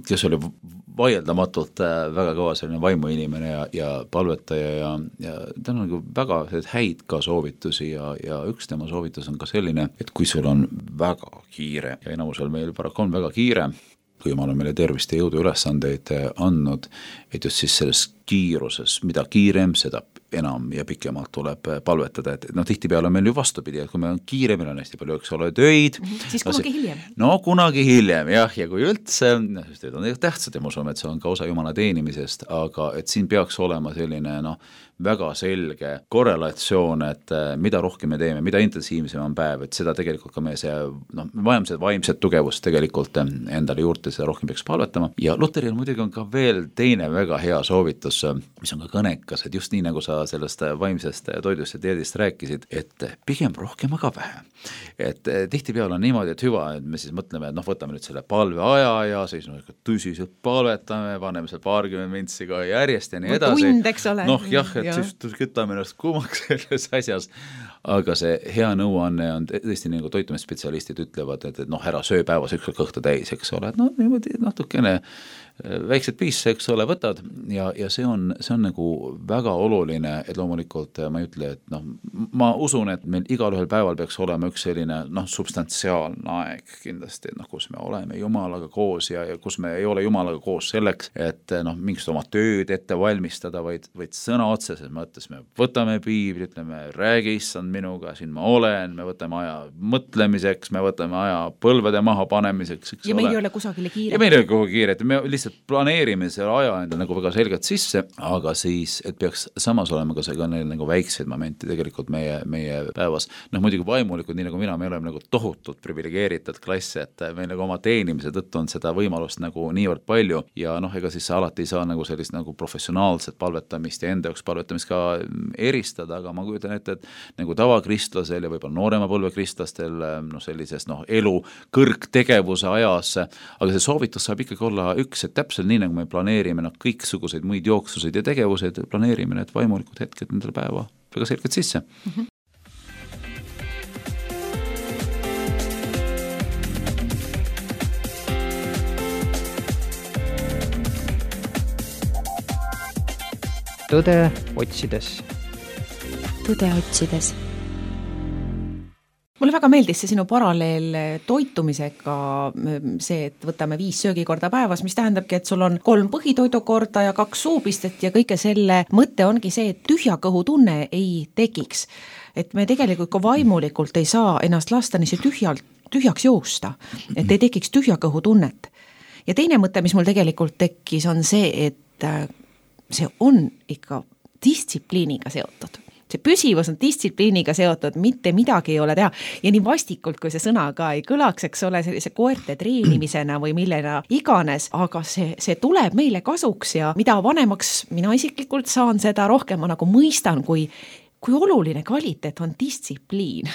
kes oli vaieldamatult väga kõva selline vaimuinimene ja palvetaja ja ta on nagu väga häid ka soovitusi ja üks tema soovitus on ka selline, et kui sul on väga kiire ja enamusel meil paraku on väga kiire, kui Jumal on meile tervist ja jõudu ülesandeid andnud, et just siis selles kiiruses, mida kiirem, seda enam ja pikemalt tuleb palvetada, et tihtipeale on meil ju vastupidi, et kui meil on kiire, meil on hästi palju, eks ole, töid. Siis kunagi hiljem. Kunagi hiljem, jah, ja kui üldse, sest need on tähtsad ja ma usun, et see on ka osa Jumala teenimisest, aga et siin peaks olema selline, väga selge korrelatsioon, et mida rohkem me teeme, mida intensiivsem on päev, et seda tegelikult ka meie see, vaimset tugevust tegelikult endale juurde, seda rohkem peaks palvetama. Ja Lutheril muidugi on ka veel teine väga hea soovitus, mis on ka kõnekas, et just nii nagu sa sellest vaimsest toidust ja dieedist rääkisid, et pigem rohkem, aga vähe. Et tihtipeale on niimoodi, et hüva, et me siis mõtleme, et võtame nüüd selle palveaja ja siis tõsiselt palvetame, paneme seal 20 mintsi ka järjest ja nii edasi. Tund, eks ole. Jah, et siis kütame ennast kuumaks selles asjas, aga see hea nõuanne on tõesti nagu toitumisspetsialistid ütlevad, et ära söö päevas üks kõhta täis, eks ole, et niimoodi natukene väiksed piisse, eks ole, võtad ja see on nagu väga oluline, et loomulikult ma ei ütle, et ma usun, et meil igal ühel päeval peaks olema üks selline substantsiaalne aeg kindlasti, kus me oleme Jumalaga koos ja kus me ei ole Jumalaga koos selleks, et mingist oma tööd ette valmistada, vaid sõna otseses mõttes me võtame piibli, ütleme, räägi issand minuga, siin ma olen, me võtame aja mõtlemiseks, me võtame aja põlvede maha panemiseks, eks ja meil ei ole kusagile kiire. Ja meil ei ole kuhugi kiire, et me lihtsalt planeerime selle aja enda nagu väga selgelt sisse, aga siis, et peaks samas olema ka nagu väikseid momente tegelikult meie päevas. Muidugi vaimulikud, nii nagu mina, me oleme nagu tohutult privilegeeritud klass, et meil nagu oma teenimise tõttu on seda võimalust nagu niivõrd palju ja ega siis alati ei saa nagu sellist nagu professionaalset palvetamist ja enda jaoks palvetamist ka eristada, aga ma kujutan ette, et nagu tavakristlasel ja võib-olla noorema põlve kristlastel sellises elu kõrgtegevuse ajas, aga see soovitus saab ikkagi olla üks, et täpselt nii nagu me planeerime kõiksuguseid muid jooksuseid ja tegevused, planeerime need vaimulikud hetked nendele päeva väga selgelt sisse. Tõde otsides. Tõde otsides. Mulle väga meeldis see sinu paralleel toitumisega, see, et võtame 5 söögikorda päevas, mis tähendabki, et sul on 3 põhitoidukorda ja 2 suupistet ja kõige selle mõte ongi see, et tühja kõhu tunne ei tekiks. Et me tegelikult ka vaimulikult ei saa ennast lasta nii tühjaks joosta, et ei tekiks tühja kõhu tunnet. Ja teine mõte, mis mul tegelikult tekkis, on see, et see on ikka distsipliiniga seotud. See püsivus on distsipliiniga seotud, mitte midagi ei ole teha. Ja nii vastikult, kui see sõna ka ei kõlaks, eks ole, sellise koerte treenimisena või millena iganes, aga see tuleb meile kasuks ja mida vanemaks mina isiklikult saan, seda rohkem ma nagu mõistan, kui oluline kvaliteet on distsipliin.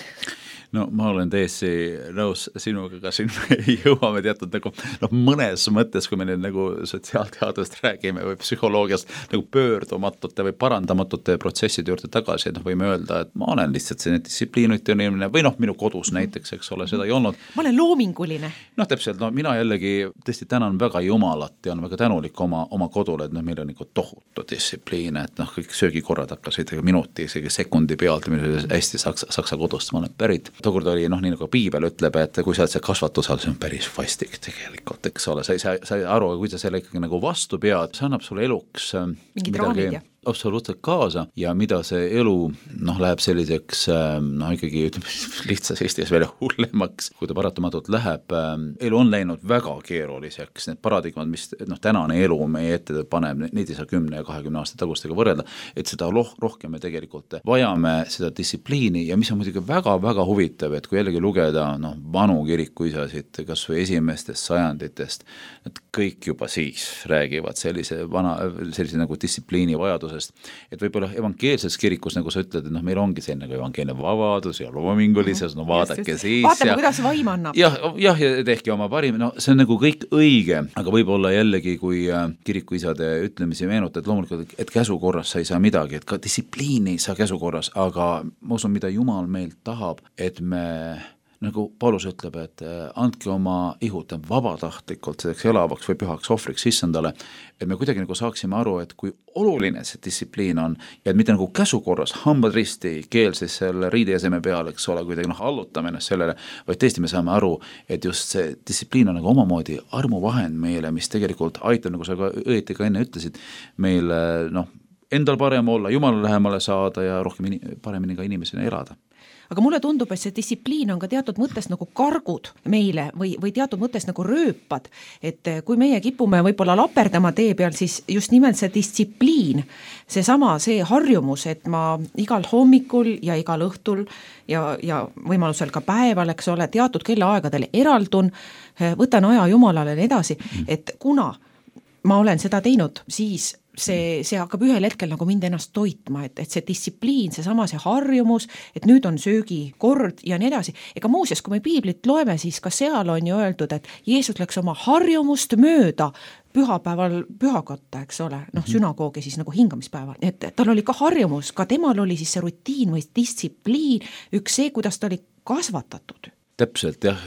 No ma olen täiesti nõus sinuga, ka siin me jõuame teatud nagu mõnes mõttes, kui me nüüd nagu sotsiaalteadust räägime või psühholoogiast nagu pöördumatute või parandamatute protsesside juurde tagasi, et võime öelda, et ma olen lihtsalt see distsipliinuti inimene või minu kodus näiteks, eks ole, seda ei olnud. Ma olen loominguline. Täpselt, mina jällegi tõesti tänan väga Jumalat ja on väga tänulik oma kodule, et meil on nagu tohutu distsipliin, et kõik söögikorrad hakkasid minuti, isegi sekundi pealt, hästi saksa kodust ma olen pärit. Tookord oli, nii nagu Piibel ütleb, et kui sa oled see kasvatusal, see on päris vastik tegelikult, eks ole, sa ei aru, kui sa selle ikkagi nagu vastu pead, see annab sulle eluks midagi absoluutselt kaasa ja mida see elu läheb selliseks ikkagi lihtsas Eestis veel hullemaks, kui ta paratamatult läheb. Elu on läinud väga keeruliseks, need paradigmad, mis tänane elu meie ette paneb, neid ei saa 10 ja 20 aasta tagustega võrrelda, et seda rohkem me tegelikult vajame seda distsipliini ja mis on muidugi väga-väga huvitav, et kui jällegi lugeda vanu kirikuisasid, kas või esimestest sajanditest, et kõik juba siis räägivad sellise nagu distsipliini vajadusest, et võib-olla evangeelses kirikus, nagu sa ütled, et meil ongi see nagu evangeelne vabadus ja loomingulises, vaadake siis. Vaatame, kuidas vaim annab. Ja tehke oma parim, see on nagu kõik õige, aga võib-olla jällegi, kui kirikuisade ütlemisi meenutad, loomulikult, et käsukorras sa ei saa midagi, et ka distsipliini ei saa käsukorras, aga ma usun, mida Jumal meilt tahab, et me nagu Paulus ütleb, et andke oma ihud vabatahtlikult selleks elavaks või pühaks ohvriks issandale, et me kuidagi nagu saaksime aru, et kui oluline see distsipliin on ja et mitte nagu käsukorras, hambad risti, keel siis selle riidejäseme peal, eks ole, kuidagi allutame ennast sellele, vaid tõesti me saame aru, et just see distsipliin on nagu omamoodi armuvahend meile, mis tegelikult aitab, nagu sa ka õieti ka enne ütlesid, meil endal parem olla, Jumala lähemale saada ja rohkem paremini ka inimesena elada. Aga mulle tundub, et see distsipliin on ka teatud mõttes nagu kargud meile või teatud mõttes nagu rööpad, et kui meie kipume võib-olla laperdama tee peal, siis just nimelt see distsipliin, see harjumus, et ma igal hommikul ja igal õhtul ja võimalusel ka päeval, eks ole, teatud kellaaegadel eraldun, võtan aja Jumalale ja nii edasi, et kuna ma olen seda teinud, siis see hakkab ühel hetkel nagu mind ennast toitma, et see distsipliin, see harjumus, et nüüd on söögikord ja nii edasi. Ega muuseas, kui me piiblit loeme, siis ka seal on ju öeldud, et Jeesus läks oma harjumust mööda pühapäeval pühakotta, eks ole, sünagoogi siis nagu hingamispäeval, et tal oli ka harjumus, ka temal oli siis see rutiin või distsipliin, üks see, kuidas ta oli kasvatatud. Täpselt jah,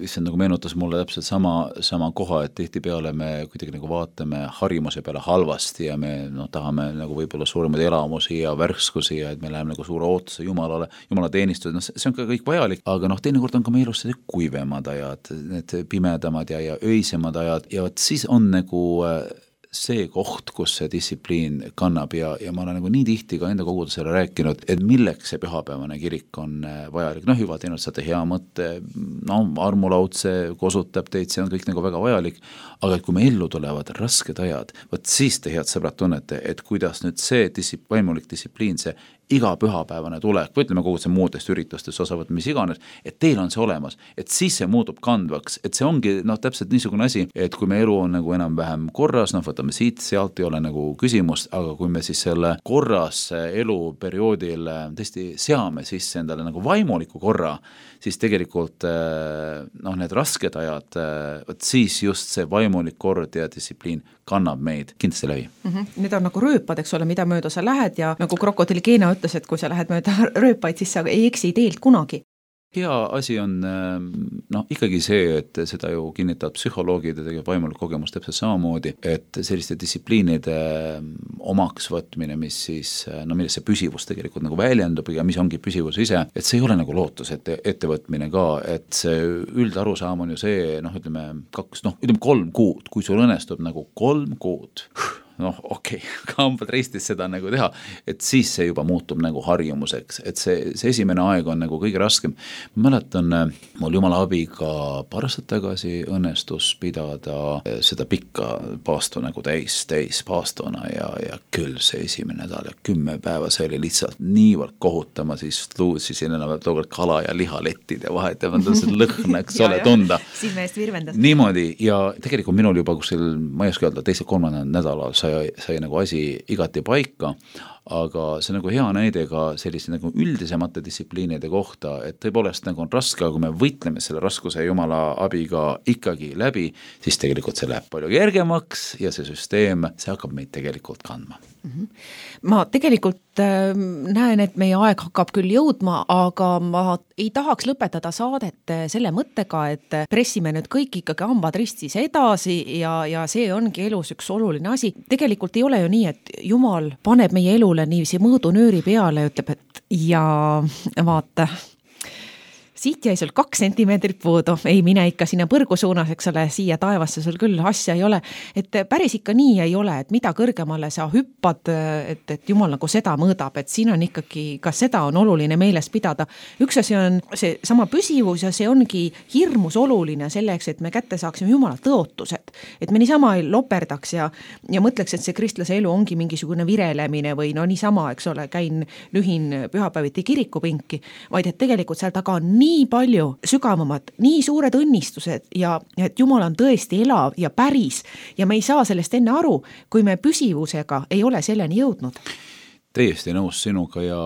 see nagu meenutas mulle täpselt sama koha, et tihtipeale me kuidagi nagu vaatame harjumuse peale halvasti ja me tahame nagu võib-olla suuremaid elamusi ja värskusi ja et me läheme nagu suure ootuse Jumalale, Jumala teenistused, see on ka kõik vajalik, aga teinekord on ka meie elus kuivemad ajad, need pimedamad ja öisemad ajad ja siis on nagu see koht, kus see distsipliin kannab ja ma olen nagu nii tihti ka enda kogudusele rääkinud, et milleks see pühapäevane kirik on vajalik. Juba teinud saate hea mõtte, armulaud see kosutab teid, see on kõik nagu väga vajalik, aga kui me ellu tulevad rasked ajad, võt siis te head sõbrad tunnete, et kuidas nüüd see vaimulik distsipliin, see iga pühapäevane tulek, või ütleme kogu see muudest üritustest osavõtt, mis iganes, et teil on see olemas, et siis see muutub kandvaks, et see ongi täpselt niisugune asi, et kui me elu on nagu enam-vähem korras, võtame siit, sealt ei ole nagu küsimust, aga kui me siis selle korras eluperioodil tõesti seame sisse endale nagu vaimuliku korra, siis tegelikult need rasked ajad, siis just see vaimulik kord ja distsipliin kannab meid kindlasti läbi. Need on nagu rööpad, eks ole, mida mööda sa lähed ja nagu krokodilli Keena ütles, et kui sa lähed mööda rööpaid, siis sa ei eksi teelt kunagi. Hea asi on ikkagi see, et seda ju kinnitavad psühholoogid ja tegelikult vaimulik kogemus täpselt samamoodi, et selliste distsipliinide omaks võtmine, mis siis, milles see püsivus tegelikult nagu väljendub ja mis ongi püsivus ise, et see ei ole nagu lootus ettevõtmine ka, et see üldarusaam on ju see, ütleme 3 kuud, kui sul õnnestub nagu 3 kuud, kambad ristis seda nagu teha, et siis see juba muutub nagu harjumuseks, et see esimene aeg on nagu kõige raskem. Ma mäletan, mul jumala abiga paar aastat tagasi õnnestus pidada seda pikka paastu nagu täis paastuna ja küll see esimene nädal ja 10 päeva, see oli lihtsalt niivõrd kohutama, siis luusisin enam tookord kala ja lihalettid ja vahet ja lõhnaks ole tunda. Silme eest virvendas. Niimoodi ja tegelikult minul juba kuskil, ma ei oska öelda, 2-3 nädalal sai nagu asi igati paika, aga see nagu hea näide ka sellise nagu üldisemate distsipliinide kohta, et tõepoolest nagu on raske, aga kui me võitleme selle raskuse jumala abiga ikkagi läbi, siis tegelikult see läheb palju kergemaks ja see süsteem, see hakkab meid tegelikult kandma. Ma tegelikult näen, et meie aeg hakkab küll jõudma, aga ma ei tahaks lõpetada saadet selle mõttega, et pressime nüüd kõik ikkagi hambad ristis edasi ja see ongi elus üks oluline asi. Tegelikult ei ole ju nii, et Jumal paneb meie elule niiviisi mõõdunööri peale ja ütleb, et ja vaata, siit jäi sul 2 sentimeetrit puudu, ei mine ikka sinna põrgu suunas, eks ole, siia taevasse sul küll asja ei ole, et päris ikka nii ei ole, et mida kõrgemale sa hüppad, et Jumal nagu seda mõõdab, et siin on ikkagi, ka seda on oluline meeles pidada. Üks asi on see sama püsivus ja see ongi hirmus oluline selleks, et me kätte saaksime Jumala tõotused, et me niisama ei loperdaks ja mõtleks, et see kristlase elu ongi mingisugune virelemine või niisama, eks ole, lühin pühapäeviti kirikupinki, vaid et tegelikult seal taga on nii palju sügavamad, nii suured õnnistused ja et Jumal on tõesti elav ja päris ja me ei saa sellest enne aru, kui me püsivusega ei ole selleni jõudnud. Täiesti nõus sinuga ja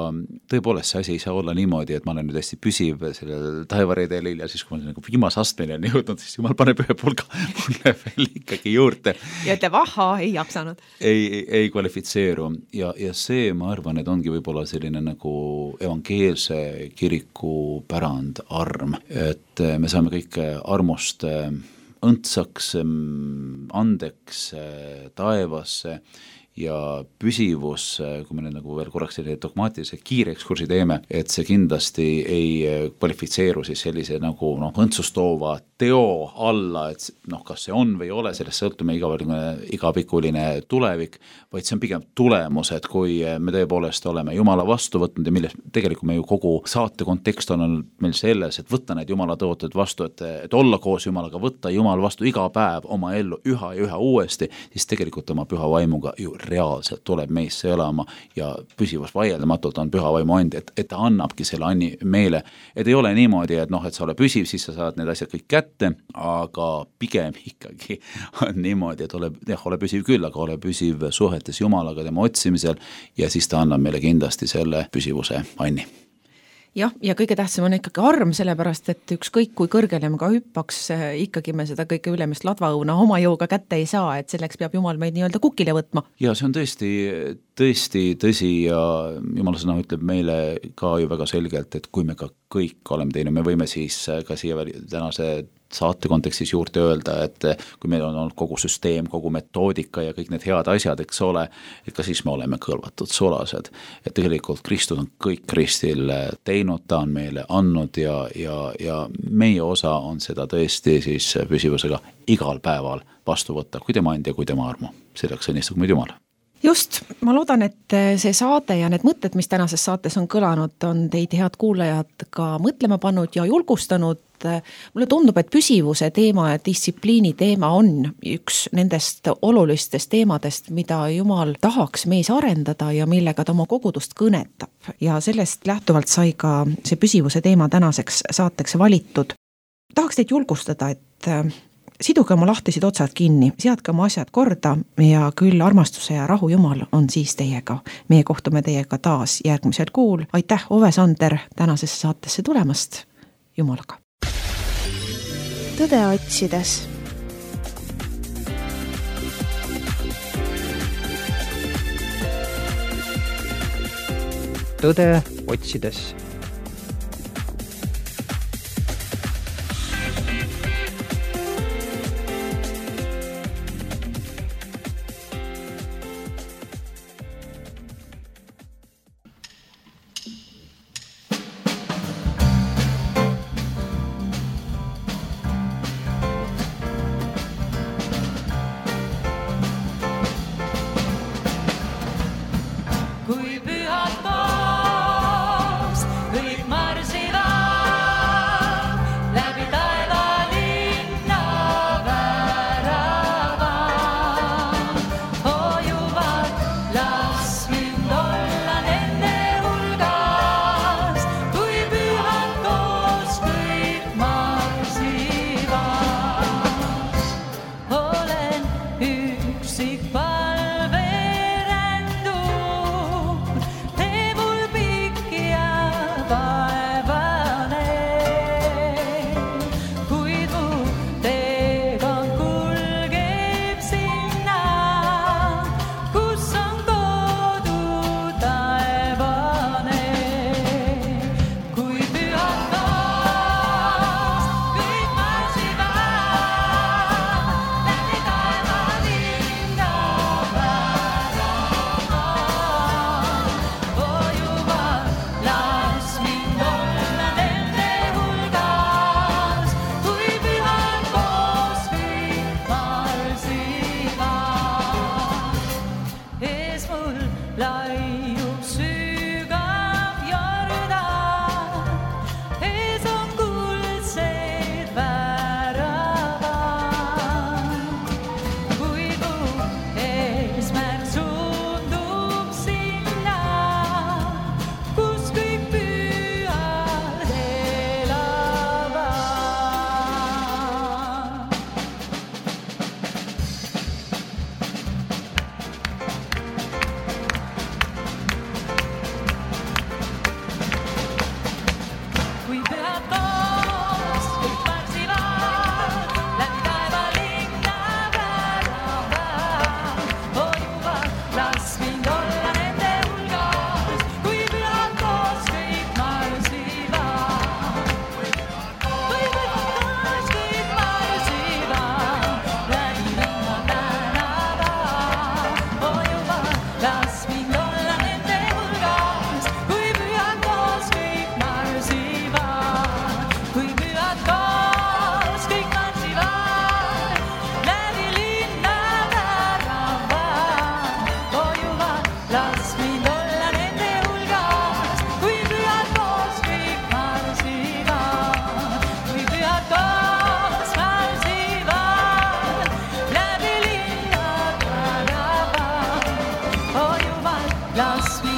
tõepoolest see asi ei saa olla niimoodi, et ma olen nüüd hästi püsiv sellel taevaredelil ja siis kui ma nagu viimase astmeni on jõudnud, siis Jumal paneb ühe pulga mulle veel ikkagi juurde. Ja ütleb, ei jaksanud. Ei kvalifitseeru ja see, ma arvan, et ongi võib-olla selline nagu evangeelse kiriku pärand arm, et me saame kõik armust õndsaks, andeks taevasse ja püsivus, kui me nagu veel korraks selline dogmaatilise kiire ekskursi teeme, et see kindlasti ei kvalifitseeru siis sellise nagu õntsustoova teo alla, et kas see on või ei ole, sellest sõltume igapikuline tulevik, vaid see on pigem tulemus, et kui me tõepoolest oleme Jumala vastu võtnud ja milles tegelikult me ju kogu saate kontekst on meil selles, et võtta need Jumala tõotud vastu, et olla koos Jumalaga, võtta Jumal vastu iga päev oma ellu üha ja üha uuesti, siis tegelikult oma püha vaimuga ju reaalselt tuleb meisse elama ja püsivus vaieldamatult on püha vaimu and, et ta annabki selle anni meile, et ei ole niimoodi, et et sa ole püsiv, siis sa saad need asjad kõik kätte, aga pigem ikkagi on niimoodi, et ole püsiv küll, aga ole püsiv suhetes Jumalaga tema otsimisel ja siis ta annab meile kindlasti selle püsivuse anni. Jah, ja kõige tähtsam on ikkagi arm, sellepärast, et ükskõik kui kõrgele me ka hüppaks, ikkagi me seda kõige ülemist ladvaõuna oma jõuga kätte ei saa, et selleks peab Jumal meid nii-öelda kukile võtma. Ja see on tõesti tõsi ja Jumala sõna ütleb meile ka ju väga selgelt, et kui me ka kõik oleme teinud, me võime siis ka siia tänase saate kontekstis juurde öelda, et kui meil on olnud kogu süsteem, kogu metoodika ja kõik need head asjad, eks ole, et ka siis me oleme kõlvatud sulased. Et tegelikult Kristus on kõik Kristil teinud, ta on meile andnud ja meie osa on seda tõesti siis püsivusega igal päeval vastu võtta, kui tema andja, kui tema armu. Selleks õnnistagu meid Jumal. Just, ma loodan, et see saade ja need mõtted, mis tänases saates on kõlanud, on teid head kuulajad ka mõtlema pannud ja julgustanud. Mulle tundub, et püsivuse teema ja distsipliini teema on üks nendest olulistest teemadest, mida Jumal tahaks meis arendada ja millega ta oma kogudust kõnetab. Ja sellest lähtuvalt sai ka see püsivuse teema tänaseks saateks valitud. Tahaks teid julgustada, et siduge oma lahtised otsad kinni, seadke oma asjad korda ja küll armastuse ja rahu Jumal on siis teiega. Meie kohtume teiega taas järgmisel kuul. Aitäh, Ove Sander, tänasesse saatesse tulemast. Jumalaga. Tõde otsides. Tõde otsides. Las